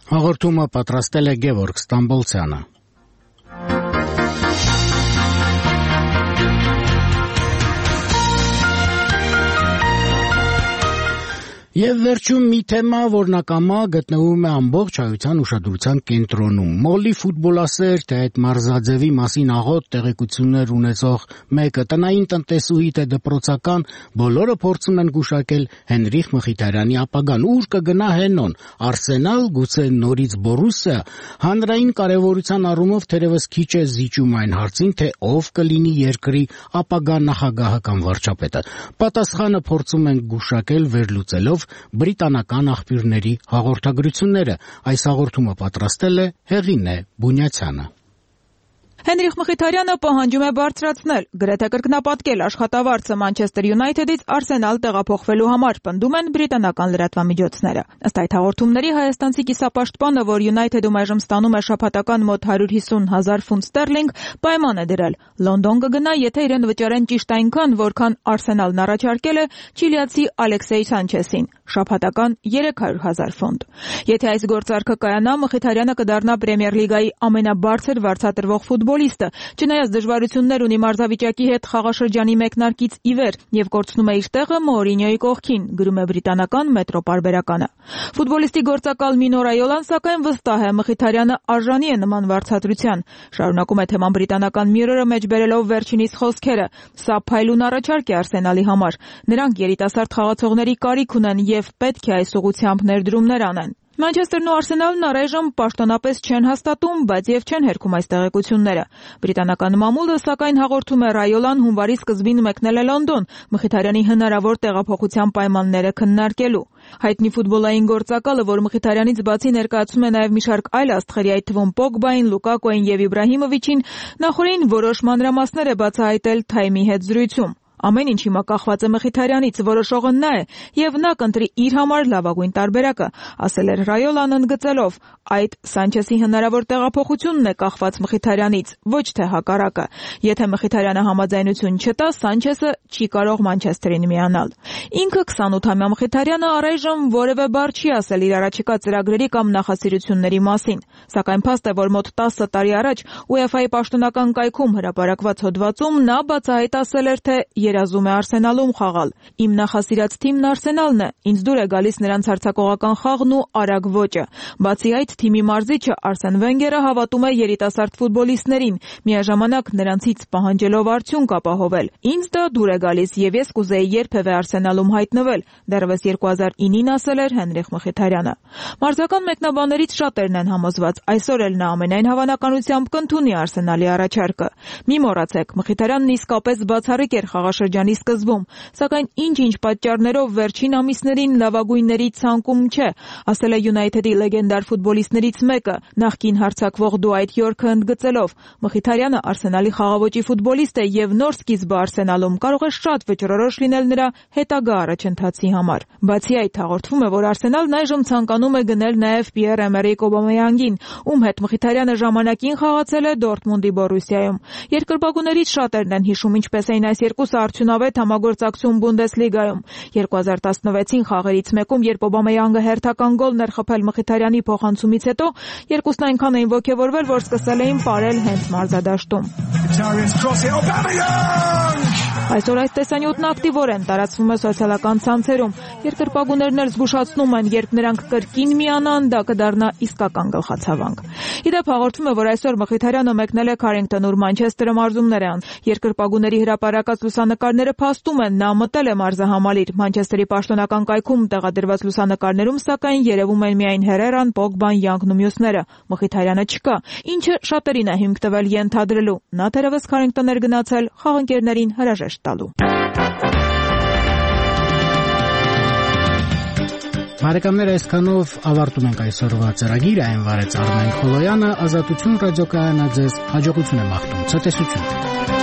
Speaker 1: Հաղորդումը պատրաստել է Գևորգ Ստամբոլցյանը։ Եվ վերջում մի թեմա, որն ակամա գտնվում է ամբողջ հայության ուշադրության կենտրոնում։ Մոլի ֆուտբոլասեր, թե այդ մարզաձևի մասին աղոտ տեղեկություններ ունեցող մեկը տնային տնտեսուհի, թե դպրոցական, բոլորը փորձում են գուշակել Հենրիխ Մխիթարյանի ապագան։ Ուր կգնա Հենոն, Արսենալ, գուցե նորից Բորուսիա։ Հանրային կարևորության առումով թերևս քիչ է զիջում այն հարցին, թե ով կլինի երկրի ապագա նախագահը կամ վարչապետը։ Պատասխանը փորձում են գուշակել վերլուծելով բրիտանական աղբյուրների հաղորդագրությունները։ Այս հաղորդումը պատրաստել է Հեղինե Բունյացյանը։
Speaker 11: Հենրիխ Մխիթարյանը պահանջում է բարձրացնել, գրեթե կրկնապատկել աշխատավարձը Մանչեսթեր Յունայթեդից Արսենալ տեղափոխվելու համար, պնդում են բրիտանական լրատվամիջոցները։ Ըստ այդ հաղորդումների հայաստանցի կիսապաշտպանը, որ Յունայթեդում այժմ ստանում է շաբաթական մոտ հարյուր հիսուն հազար ֆունտ ստերլինգ, պայման է դրել։ Լոնդոն կգնա, եթե իրեն վճարեն ճիշտ այնքան, որքան Արսենալն առաջարկել է չիլիացի Ալեքսեյ Սանչեսին, շաբաթական երեք հարյուր հազար ֆունտ։ Եթե այս գործարքը կայանա, Մխիթարյանը կդառնա Պրեմիեր լիգայի ամենաբարձր վարձատրվող ֆուտբոլիստը, չնայած դժվարություններ ունի մարզավիճակի հետ խաղաշրջանի մեկնարկից ի վեր եւ կորցնում է իր տեղը Մորինյոյի կողքին, գրում է բրիտանական Մետրո պարբերականը։ Ֆուտբոլիստի գործակալ Մինո Ռայոլան սակայն վստահ է, Մխիթարյանը արժանի է նման վարձատրության։ Շարունակում է թեման բրիտանական Mirror-ը մեջ բերելով վերջինիս խոսքերը. «Սա փայլուն առաջարկ է Արսենալի համար։ Նրանք երիտասարդ խաղացողների կարիք ունեն եւ պետք է այս ուղղությամբ ներդրումներ անեն»։ Մանչեսթերն ու Արսենալն առայժմ պաշտոնապես չեն հաստատում, բայց եւ չեն հերքում այս տեղեկությունները։ Բրիտանական մամուլը սակայն հաղորդում է Ռայոլան հունվարի սկզբին մեկնել է Լոնդոն Մխիթարյանի հնարավոր տեղափոխության պայմանները քննարկելու։ Հայտնի ֆուտբոլային գործակալը, որ Մխիթարյանից բացի ներկայացում է նաև մի շարք այլ աստղերի, այդ թվում Պոգբային, Լուկակոին եւ Իբրահիմովիչին, նախորդին որոշ մանրամասներ է բացահայտել Թայմի հետ զրույցում։ Ամեն ինչ հիմա կախված է Մխիթարյանից, որոշողը նա է, եւ նա կընտրի իր համար լավագույն տարբերակը, ասել էր Ռայոլան ընդգծելով. այդ Սանչեսի հնարավոր տեղափոխությունն է կախված Մխիթարյանից, ոչ թե հակառակը։ Եթե Մխիթարյանը համաձայնություն չտա, Սանչեսը չի կարող Մանչեսթերին միանալ։ Ինքը քսանութամյա Մխիթարյանը առայժմ որևէ բառ չի ասել իր առաջիկա ծրագրերի կամ նախասիրությունների մասին, սակայն փաստ է, որ մոտ տասը տարի առաջ ՈՒԵՖԱ-ի պաշտոնական կայքում հրապարակված հոդվածում նա բացահայտ ասել էր, թե երազում է Արսենալում խաղալ։ Իմ նախասիրած թիմն Արսենալն է, ինձ դուր է գալիս նրանց հարձակողական խաղն ու արագ ոճը։ Բացի այդ, թիմի մարզիչը Արսեն Վենգերը հավատում է երիտասարդ ֆուտբոլիստներին, միաժամանակ նրանցից պահանջելով արդյունք ապահովել։ Ինձ դա դուր է գալիս եւ ես կուզեի երբևէ Արսենալում հայտնվել, դեռևս երկու հազար ինին ասել էր Հենրիխ Մխիթարյանը։ Մարզական մեկնաբաններից շատերն են համոզված, այսօր էլ նա ամենայն հավանականությամբ կընդունի Արսենալի առաջարկը։ Մի մոռացեք, Մխիթարյանն իսկապես բացառիկ էր խաղաշրջանի սկզբում, սակայն ինչ-ինչ պատճառներով վերջին ամիսներին լավագույնների ցանկում չէ, ասել է Յունայթեդի լեգենդար ֆուտբոլիստներից մեկը, նախկին հարձակվող Դուայթ Յորքը ընդգծելով։ Մխիթարյանը Արսենալի խաղաոճի ֆուտբոլիստ է եւ նոր սկիզբը Արսենալում կարող է շատ վճռորոշ լինել նրա հետագա առաջընթացի համար։ Բացի այդ, հաղորդվում է, որ Արսենալն այժմ ցանկանում է գնել նաեւ Պիեր-Էմերիկ Օբամեյանգին, ում հետ Մխիթարյանը ժամանակին խաղացել է Դորտմունդի Բորուսիայում։ Երկրպագուներից շատերն են հիշում, ինչպես էին այս երկուսը արդյունավետ համագործակցում Բունդեսլիգայում։ երկու հազար տասնվեցին խաղերից մեկում, երբ Օբամեյանգը հերթական գոլն էր խփել Մխիթարյանի փոխանցումից հետո, երկուսն այնքան էին ոգևորվել, որ սկսել էին պարել հենց մարզադաշտում։ Այսօր այս տեսանյութն ակտիվորեն տարածվում է սոցիալական ցանցերում։ Երկրպագուներն էլ զգուշացնում են, երբ նրանք կրկին միանան, դա կդառնա իսկական գլխացավանք։ Իդեպ հաղորդվում է, որ այսօր Մխիթարյանը մեկնել է Քարինգտոն, ուր Մանչեսթերը մարզումներ է անում։ Երկրպագուների հրապարակած լուսանկարները փաստում են, նա մտել է մարզահամալիր։ Մանչեսթերի պաշտոնական կայքում տեղադրված լուսանկարներում, սակայն երևում են միայն Հերերան, Պոգբան, Յանգն ու մյուսները։ Մխիթարյանը չկա, ինչը շատերին է հիմք տվել ենթադրելու։ Նա թերևս Քարինգտոն էր գնացել խաղընկերներին հրաժեշտ տալու։
Speaker 1: Բարեկամներ, այսքանով ավարտում ենք այսօրվա ծրագիրը, այն վարեց Արմեն Խոլոյանը, Ազատություն ռադիոկայանը ձեզ հաջողություն է մաղթում, ցտեսություն։